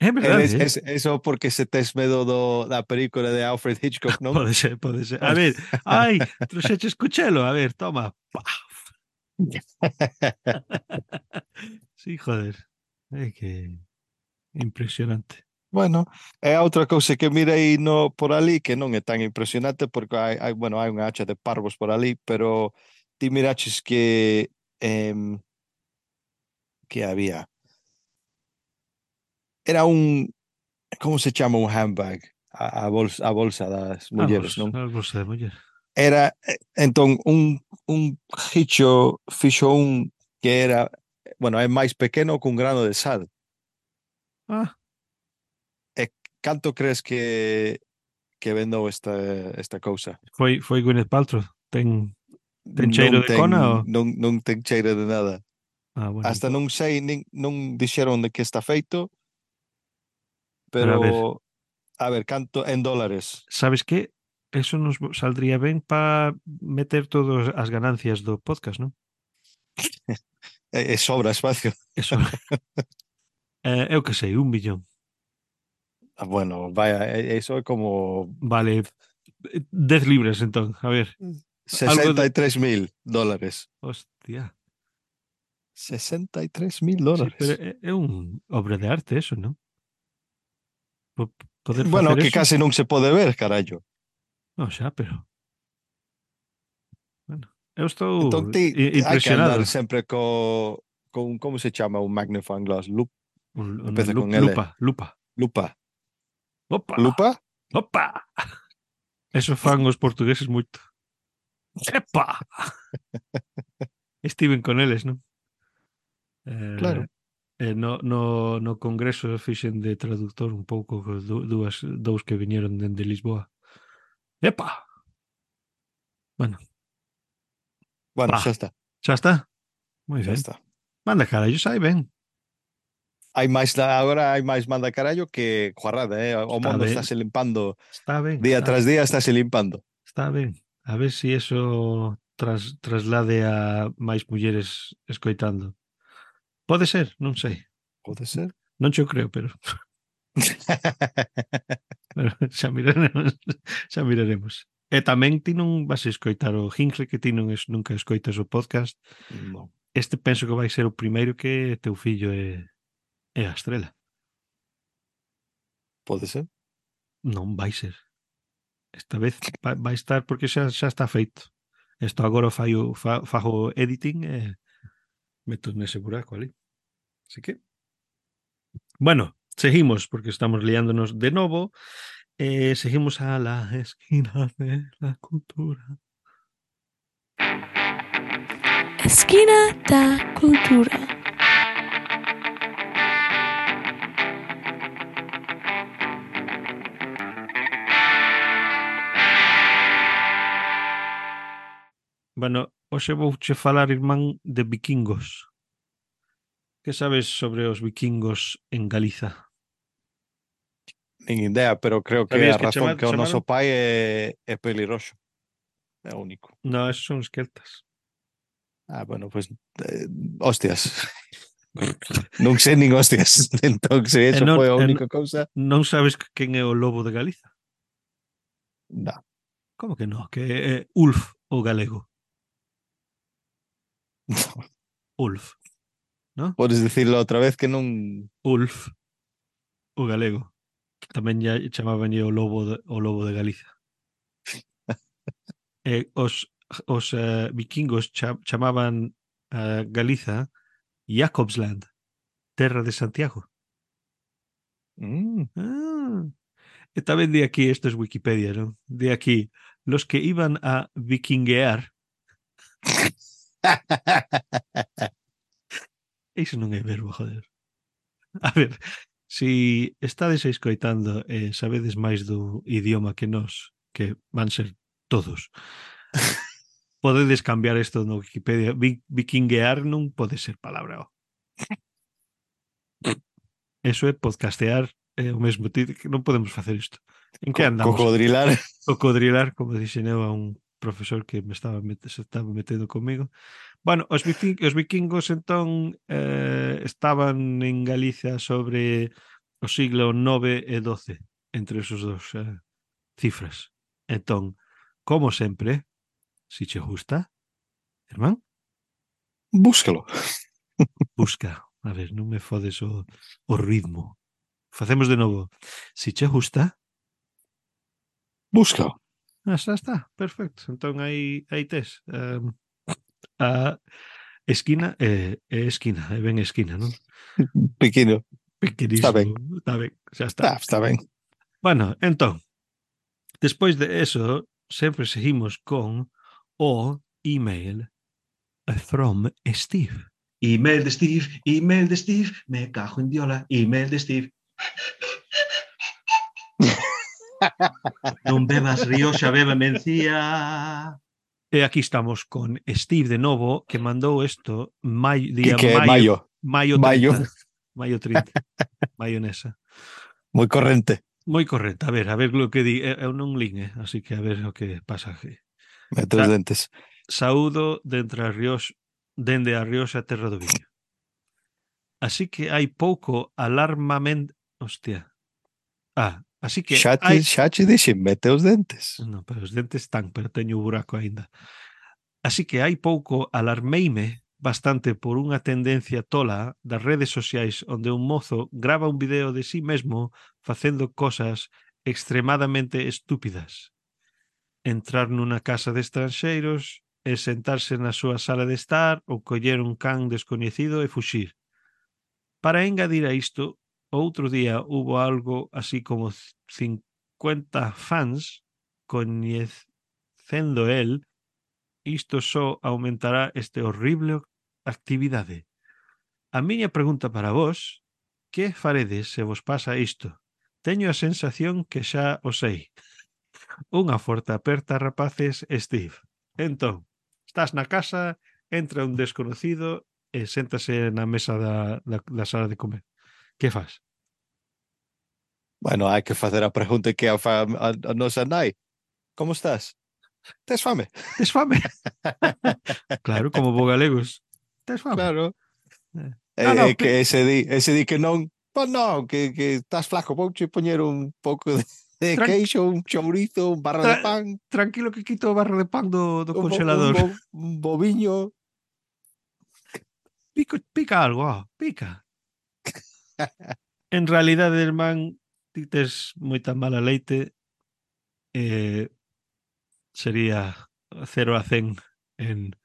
É Eres, verdade, eh? es, eso porque se tes medo do, da película de Alfred Hitchcock, non? Pode ser, pode ser. A ver, ai, trouxeches cuchelo, a ver, toma. Pa. Sí, joder. É que impresionante. Bueno, é outra cousa que mirei no por ali que non é tan impresionante porque hai, hai bueno, hai unha hacha de parvos por ali, pero ti miraches que em, que había. Era un como se chama un handbag? A, a bolsa, a bolsa das Vamos, mulleres, non? a bolsa de muller. Era eh, entón un un hicho fixo un que era, bueno, é máis pequeno que un grano de sal. Ah, E canto crees que que vendou esta esta cousa? foi foi Gwyneth Paltrow. Ten ten Non cheiro de ten cona ou? non non ten cheiro de nada. Ah, bueno, Hasta ento- non sei, nin, non dixeron de que está feito, pero a ver, pero a ver, canto en dólares. sabes que eso nos saldría ben para meter todas as ganancias do podcast, non? E, e sobra espacio. Eso, eh, eu que sei, un millón. Ah, bueno, vaya, e- eso é como Vale, eh, dez libras entón, a ver, algo sesenta de... y tres mil dólares. Hostia, sesenta y tres mil sí, pero dólares. é, é un obra de arte eso, non? Po- Poder Bueno, facer que eso? casi non se pode ver, carallo. Non, xa, pero... Bueno, eu Entón estou ti i- hai que andar impresionado. sempre co con como se chama un magnifying glass, Lup, Un, un empeza lup- con L, lupa, lupa. lupa. Opa, Lupa? opa. Eso fan os portugueses moito. Epa! Estiven con eles, non? Eh, Claro. eh, no, no, no congreso fixen de traductor un pouco cos du- dúas, dous que viñeron dende Lisboa. Epa! Bueno, Bueno, pa. xa está, Xa está? Moi xa ben. está. Manda carallo, sai ben. Hai máis agora hai máis manda carallo que guarrada, eh? O Está mundo ben, estáse limpando está ben, día está, tras día, estáse limpando. está ben. A ver si eso tras, traslade a máis mulleres escoitando. Pode ser, non sei. Pode ser. Non cho creo, pero, pero xa miraremos. Xa miraremos. E tamén ti non vas a escoitar o Hingle, que ti non es, nunca escoitas o podcast. No, Este penso que vai ser o primeiro que teu fillo é, é a estrela. pode ser. Non vai ser. Esta vez vai, vai estar porque xa, xa está feito. Isto agora fai o, fa, fago editing e meto nese buraco ali. Así que, bueno, seguimos porque estamos liándonos de novo. Eh, seguimos a la esquina de la cultura. Esquina da Cultura. Bueno, hoxe vouche falar, irmán, de vikingos. Que sabes sobre os vikingos en Galiza? Nin idea, pero creo que Sabías a que razón chama, que o noso chamaron? pai é, é pelirroxo. É o único. No, esos son os celtas. Ah, bueno, pues eh, hostias. Non sei nin hostias. Entón, se E eso non, foi a e única cousa, non sabes quen é o lobo de Galiza? no. Como que non? Que é Ulf, o galego. Ulf, ¿no? Podes dicirlo outra vez que non... Ulf, o galego. Tamén ya chamaban o lobo de, o lobo de Galiza. E os os uh, vikingos cha chamaban uh, Galiza Jakobsland, terra de Santiago. Mm. Ah. E tamén di aquí, isto es Wikipedia, ¿no? Di aquí, los que iban a vikinguear. Iso non é verbo, joder. A ver, si estades escoitando e eh, sabedes máis do idioma que nós, que van ser todos, podedes cambiar isto no Wikipedia. Vi vikinguear non pode ser palabra. Eso é podcastear é o mesmo. Non podemos facer isto. En que Co andamos? cocodrilar. Cocodrilar, como dixen eu a un profesor que me estaba met se estaba metendo comigo. Bueno, os, vikingos, os vikingos entón eh, estaban en Galicia sobre o siglo nove e doce, entre esos dos eh, cifras. Entón, como sempre, si che gusta, irmán, Búscalo. busca. A ver, non me fodes o, o ritmo. Facemos de novo. Si che gusta, Búscalo. ah, xa está, perfecto. Entón aí, aí tes. Um, a esquina é, é esquina, é ben esquina, non? Pequeno. Está ben. Pequenísimo. Está ben, xa está. Está, está ben. Bueno, entón, despois de eso, sempre seguimos con o email from Steve. Email de Steve, email de Steve, me cajo en diola, email de Steve. Non bebas Rioxa, beba mencía. E aquí estamos con Steve de novo, que mandou isto maio, día que maio, maio. maio trinta. Maio. Maio trinta. Maionesa. Moi corrente. Moi correcto. A ver, a ver o que di. Eu non lin, eh? Así que a ver o que pasa aquí. Mete os dentes. Saúdo dentro a Ríos, dende a Rioxa Terra do Viño. Así que hai pouco alarmamento... Hostia. Ah, así que Xa hai... te, xa te dixen, mete os dentes. Non, pero os dentes están, pero teño o buraco aínda. Así que hai pouco alarmeime bastante por unha tendencia tola das redes sociais onde un mozo grava un video de sí mesmo facendo cosas extremadamente estúpidas. Entrar nunha casa de estranxeiros e sentarse na súa sala de estar ou coller un can descoñecido e fuxir. Para engadir a isto, outro día hubo algo así como cincuenta fans coñecendo el. Isto só aumentará este horrible actividade. A miña pregunta para vos, que faredes se vos pasa isto? Teño a sensación que xa o sei. Unha forte aperta, rapaces, Steve. Entón, estás na casa, entra un desconocido e séntase na mesa da, da, da sala de comer. Que faz? Bueno, hai que facer a pregunta que a, fa, a, a nosa nai. Como estás? Tes fame? Tes fame? Claro, como bo galegos. Tes fame? Claro. Eh. É, No, no, é que ese di, ese di que non, pois non, que, que estás flaco, vouche poñer un pouco de, de Tran queixo, un chourizo, un barra Tra de pan, tranquilo que quito o barro de pan do, do un, bo, un, congelador. bo, un boviño. Pico, pica algo, oh, pica. En realidade, irmán, ti tes moita mala leite, eh, sería cero a cen en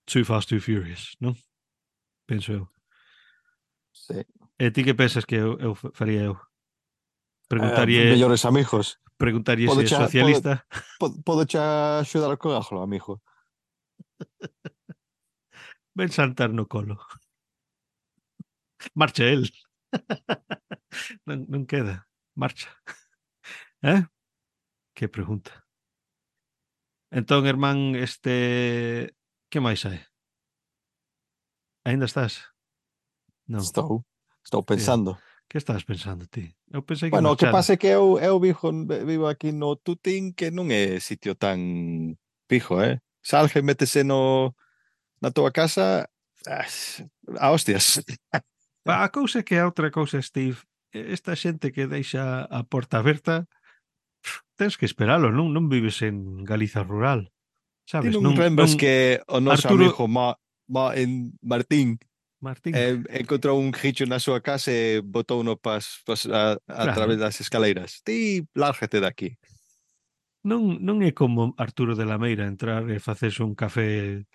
Too Fast, Too Furious, non? Penso eu. Sí. E ti que pensas que eu, eu faría eu? Preguntaría... Eh, mellores amigos. Preguntaría Pode se é cha, socialista. Pode, pode cha axudar con algo, amigo. Ven saltar no colo. Marcha el. non, non queda. Marcha. Eh? Que pregunta. Entón, irmán, este... Que máis hai? Ainda estás? Non. Estou, estou Hostia. pensando. Que estás pensando ti? Eu pensei que Bueno, o que marchara. pasa é que eu, eu vivo, vivo aquí no Tutín, que non é sitio tan pijo, eh? Salge, métese no, na tua casa, a hostias. A cousa é que a outra cousa, Steve, esta xente que deixa a porta aberta, tens que esperalo, non, non vives en Galiza rural. Ti Sabes? non Non, lembras non... que o noso Arturo... amigo Ma, Ma, en Martín Martín. eh, encontrou un gicho na súa casa e botou no pas, pas a, a Claro. través das escaleiras. Ti, lárgate daqui. Non, non é como Arturo de la Meira entrar e facerse un café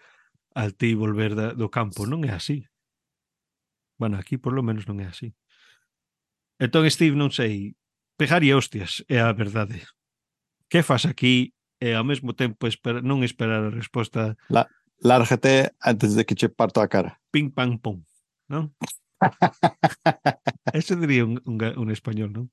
al ti e volver da, do campo. Non é así. Bueno, aquí por lo menos non é así. Entón, Steve, non sei, pegaría hostias, é a verdade. Que fas aquí e ao mesmo tempo espera, non esperar a resposta La, lárgate antes de que che parto a cara. ping, pang, pong, non? Ese diría un, un, ga- un español, non?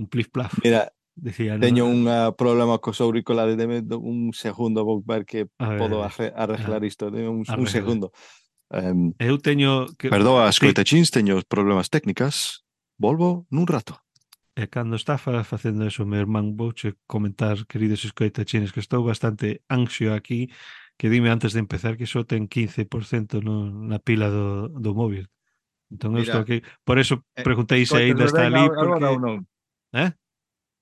Un plif plaf. Mira, Decía, non? teño un ah, problema cos auriculares. Deme do- un segundo, vou ver que A ver, podo a ver, arre- arreglar a- isto. Deme un, un arregla. segundo. Em, Eu teño que perdoa, ti, escoitachins, teño problemas técnicas. Volvo nun rato. e cando está fa- facendo eso, meu irmán, vouche comentar, queridos escoitachines, que estou bastante anxio aquí, que dime antes de empezar que só ten quince por ciento no, na pila do, do móvil. Entón eu estou Mira, aquí, por eso eh, preguntei se aínda escoitasme está ben ali, a- agora ou porque... non? Eh?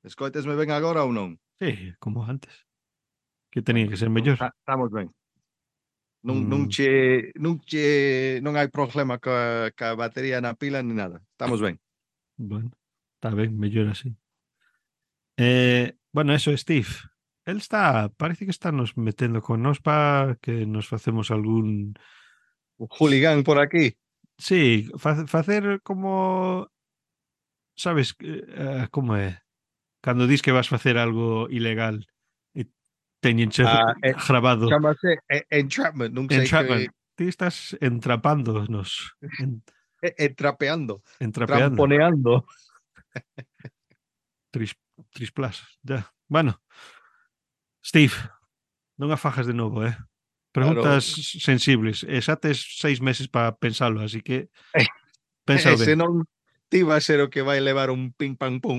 Escoitasme ben agora ou non? Sí, como antes. Que tenía Bueno, que ser entón mellor. ta- estamos ben. Non, non Mm, che, non che, non hai problema ca, ca batería na pila ni nada. Estamos ben. bueno, está ben, mellor así. Eh, bueno, eso, Steve. Él está, parece que está nos metendo con nos para que nos facemos algún... O hooligan por aquí. Sí, fa- facer como... Sabes, eh, como é? Cando dis que vas facer algo ilegal e teñenche Ah, eh, grabado Chámase eh, entrapment, non sei que entrapment. Ti estás entrapándonos, en, eh, entrapeando, entrapeando. tramponeando. Tris, trisplas, ya. Bueno, Steve, non a fajas de novo, eh? Claro, Preguntas sensibles. E xa tes seis meses para pensalo, así que pensa ese ben. non ti va a ser o que vai levar un ping pang pum.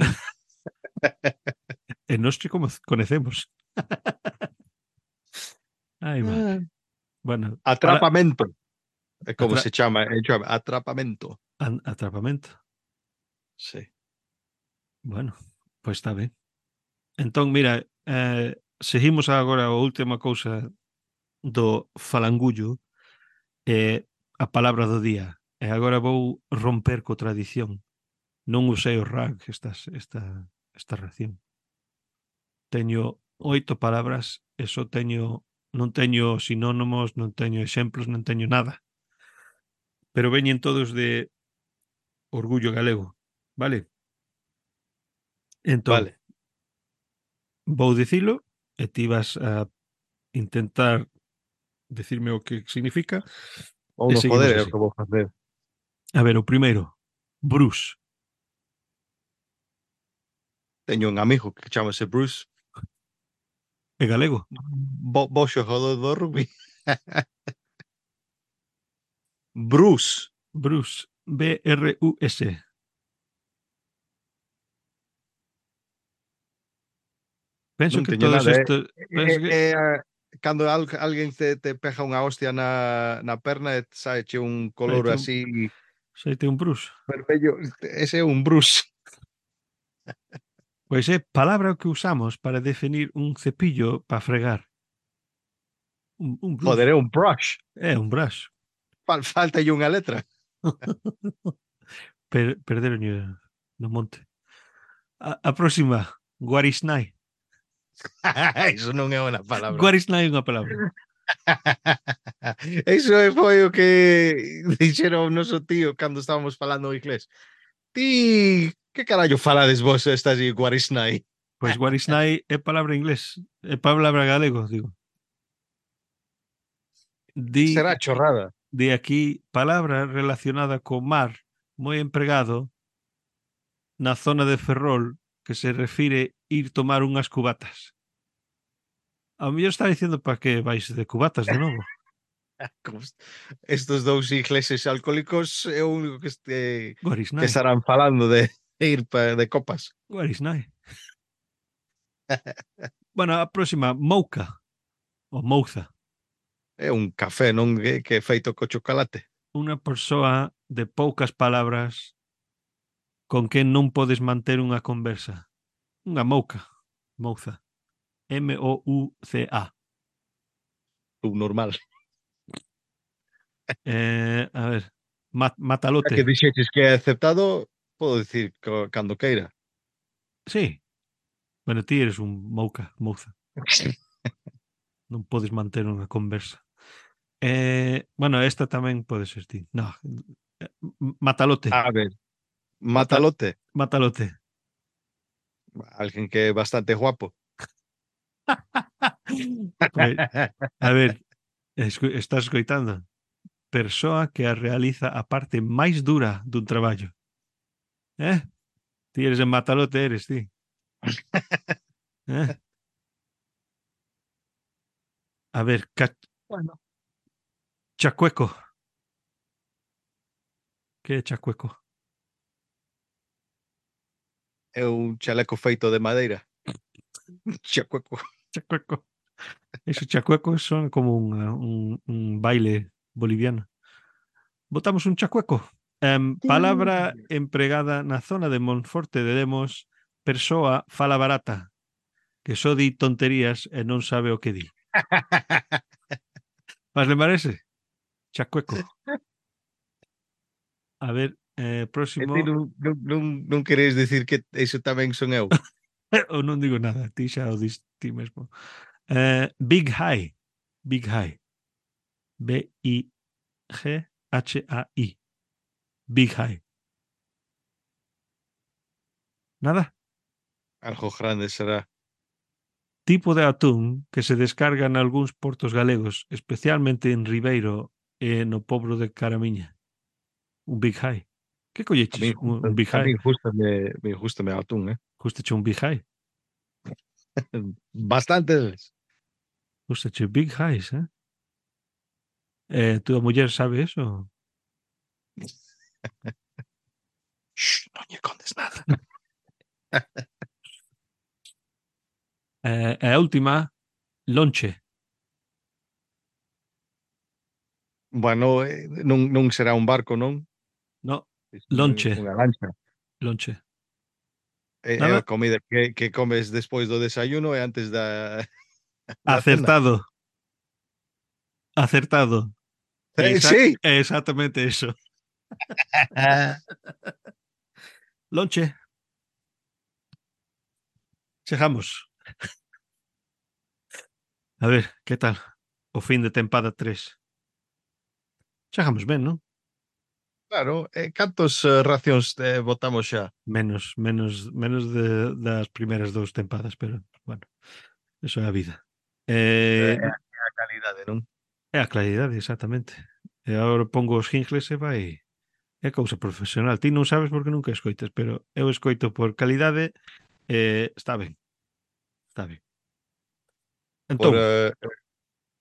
E nós te como conecemos. Ai, madre. Bueno, para Atrapamento. É como atra se chama, entra- atrapamento. an- atrapamento. Sí. Bueno, pois está ben. Entón, mira, eh, seguimos agora a última cousa do falangullo, é a palabra do día. E agora vou romper co tradición. Non usei o rag esta, esta, esta ración. Teño oito palabras e só teño, non teño sinónimos, non teño exemplos, non teño nada. Pero veñen todos de orgullo galego, vale? Entón, Vale. vou dicilo e ti vas a intentar decirme o que significa Ou e no seguimos joder é o así. que vou facer. A ver, o primeiro, Bruce. Teño un amigo que chamase Bruce. É galego? Bo, bo xogador do rugby. Bruce. Bruce. B R U S. Penso Non que teño todos nada, eh. estos... Penso É, que... é, é, cando al, alguén te, te pega unha hostia na, na perna e saeche un color Xaite un, así xaite un Bruce. vermello, ese é un Bruce. Pois é palabra que usamos para definir un cepillo para fregar. Un, un Bruce. Joder, é un brush. É un brush. Fal, falta unha letra. Per, perderon no monte. A, a próxima, Guarisnai. Iso non é unha palabra. Guarisnai é unha palabra. Iso foi o que dixeron o noso tío cando estábamos falando o inglés. Ti, que carallo falades vos estas de Guarisnai? Pois Guarisnai é palabra inglés. É palabra galego, digo. Di, Será chorrada. de aquí palabra relacionada co mar moi empregado na zona de Ferrol que se refire ir tomar unhas cubatas. A mellor está diciendo para que vais de cubatas de novo. Como estos dous ingleses alcohólicos é o único que, este, que Guarisnai. estarán falando de ir pa, de copas. Guarisnai. Bueno, a próxima, Mouca. Ou Mouza. É un café, non que, que é feito co chocolate. Unha persoa de poucas palabras con quen non podes manter unha conversa. Unha mouca. Mouza. M O U C A. Un normal. Eh, a ver, mat, A matalote. que dixeches que é aceptado, podo dicir co, cando queira. Sí. Bueno, ti eres un mouca, mouza. Non podes manter unha conversa. Eh, bueno, esta tamén pode ser ti. No, eh, matalote. A ver, Mata, matalote. matalote. Alguien que é bastante guapo. Pues, a ver, escu- estás escoitando? Persoa que a realiza a parte máis dura dun traballo. Eh? Ti eres en matalote, eres ti. Eh? A ver, ca- Bueno. chacueco. Que é chacueco? É un chaleco feito de madeira. Chacueco. Chacueco. Esos chacuecos son como un, un, un baile boliviano. Botamos un chacueco. Em, palabra empregada na zona de Monforte de Demos, persoa fala barata, que só di tonterías e non sabe o que di. Vas lembrar ese? Chacueco. A ver, eh, E ti próximo. non, non, non, non queres decir que iso tamén son eu? Ou non digo nada, ti xa o dis ti mesmo. Eh, Big High. Big High. B I G H A I. Big High. Nada? Algo grande será. Tipo de atún que se descarga en algúns portos galegos, especialmente en Ribeiro e no pobro de Caramiña. Un Big High. Que A colleches? min, Un, un Big a High? min gustame, me gustame o atún, eh? Gustache un Big High? Bastantes. Gustache Big Highs, eh? Eh, tu muller sabe eso? Shh, non lle contes nada. Eh, e a última, lonche. Bueno, eh, non, non será un barco, non? No, Isto é lonche. unha lancha. Lonche. É, é a Nada? comida que, que comes despois do desayuno e antes da, da cena. Acertado. Acertado. Eh, Esa, sí. exactamente eso. Lonche. Chegamos. A ver, que tal? O fin de tempada tres. Chegamos ben, non? Claro, eh, cantos eh, racións eh, botamos xa? Menos, menos, menos de, das primeiras dous tempadas, pero, bueno, eso é a vida. É, Eh, é a é a calidade, non? é a claridade, exactamente. E agora pongo os jingles e vai... É cousa profesional. Ti non sabes porque nunca escoitas, pero eu escoito por calidade e está ben. Está ben. Por Entón, uh,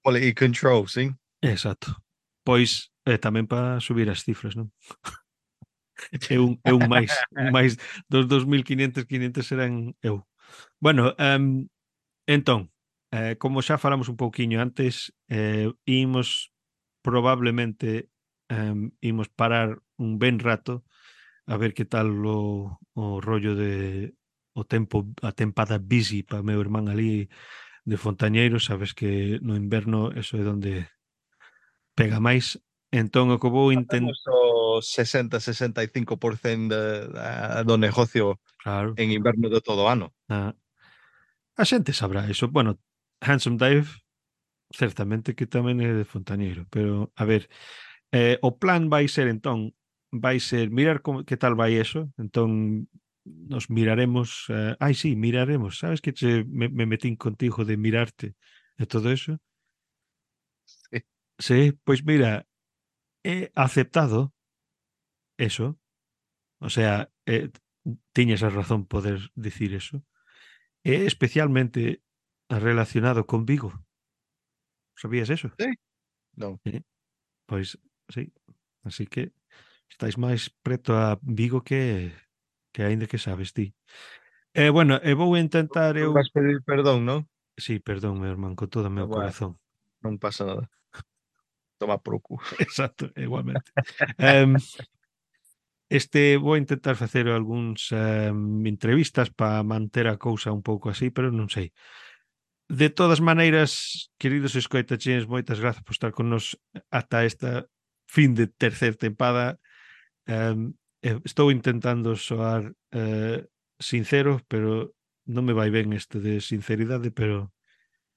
quality control, sí? exacto. Pois é tamén para subir as cifras, non? É un, é un máis, un máis dos dos mil quinhentos, quinhentos serán eu. Bueno, um, entón, eh, como xa falamos un pouquiño antes, eh, imos probablemente um, imos parar un ben rato a ver que tal o, o rollo de o tempo, a tempada busy para meu irmán ali de Fontañeiro, sabes que no inverno eso é onde pega máis. Entón, o que vou intentar... Facemos o sesenta, sesenta e cinco por cento de, da, do negocio Claro, en inverno de todo o ano. a, a xente sabrá eso. Bueno, Handsome Dave, certamente que tamén é de Fontañeiro, pero, a ver, eh, o plan vai ser, entón, vai ser mirar como, que tal vai eso, entón nos miraremos, eh, ai sí, miraremos, sabes que che, me, me metín contigo de mirarte e todo eso? Sí. Sí, pois mira, he aceptado eso, o sea, eh, tiñas a razón poder dicir eso, é especialmente relacionado con Vigo. Sabías eso? Sí? Non. Sí. Pois, sí, así que estáis máis preto a Vigo que que aínda que sabes ti. E bueno, e vou intentar Non eu... vas pedir perdón, non? Sí, perdón, meu irmán, con todo o Ah, meu bueno, corazón. non pasa nada. Toma por o cu. Exacto, igualmente. um, este vou intentar facer algúns um, entrevistas para manter a cousa un pouco así, pero non sei. De todas maneiras, queridos escoitachines, moitas grazas por estar con nos ata esta fin de terceira tempada. Um, estou intentando soar uh, sincero, pero non me vai ben este de sinceridade, pero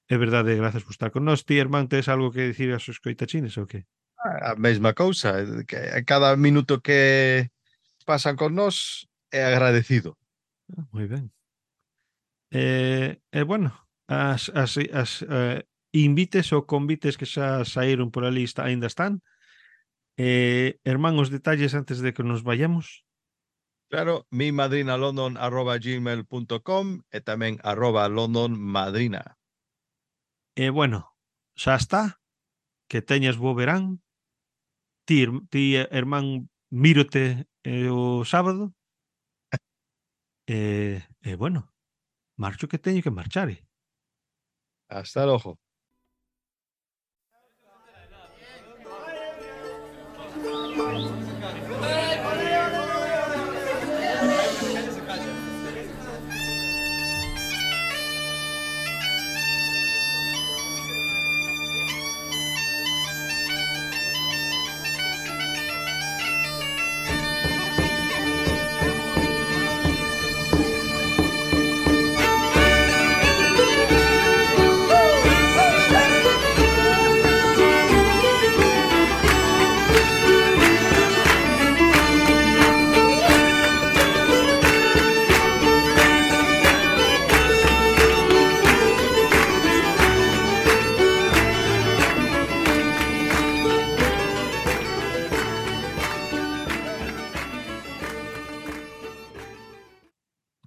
é verdade, grazas por estar con nós. Ti, irmán, tes algo que dicir aos escoitachines ou que? A mesma cousa, eh, que a cada minuto que pasan con nós é agradecido. Ah, moi ben. E, e bueno, as, as, as eh, invites ou convites que xa saíron por ali está, ainda están. Eh, irmán, os detalles antes de que nos vayamos. Claro, mi madrina london arroba gmail punto com e tamén arroba london madrina. E bueno, xa está. Que teñas bo verán. Ti, ir- ti irmán, mírote eh, o sábado. E, e bueno, marcho que teño que marchar. eh. Hasta logo.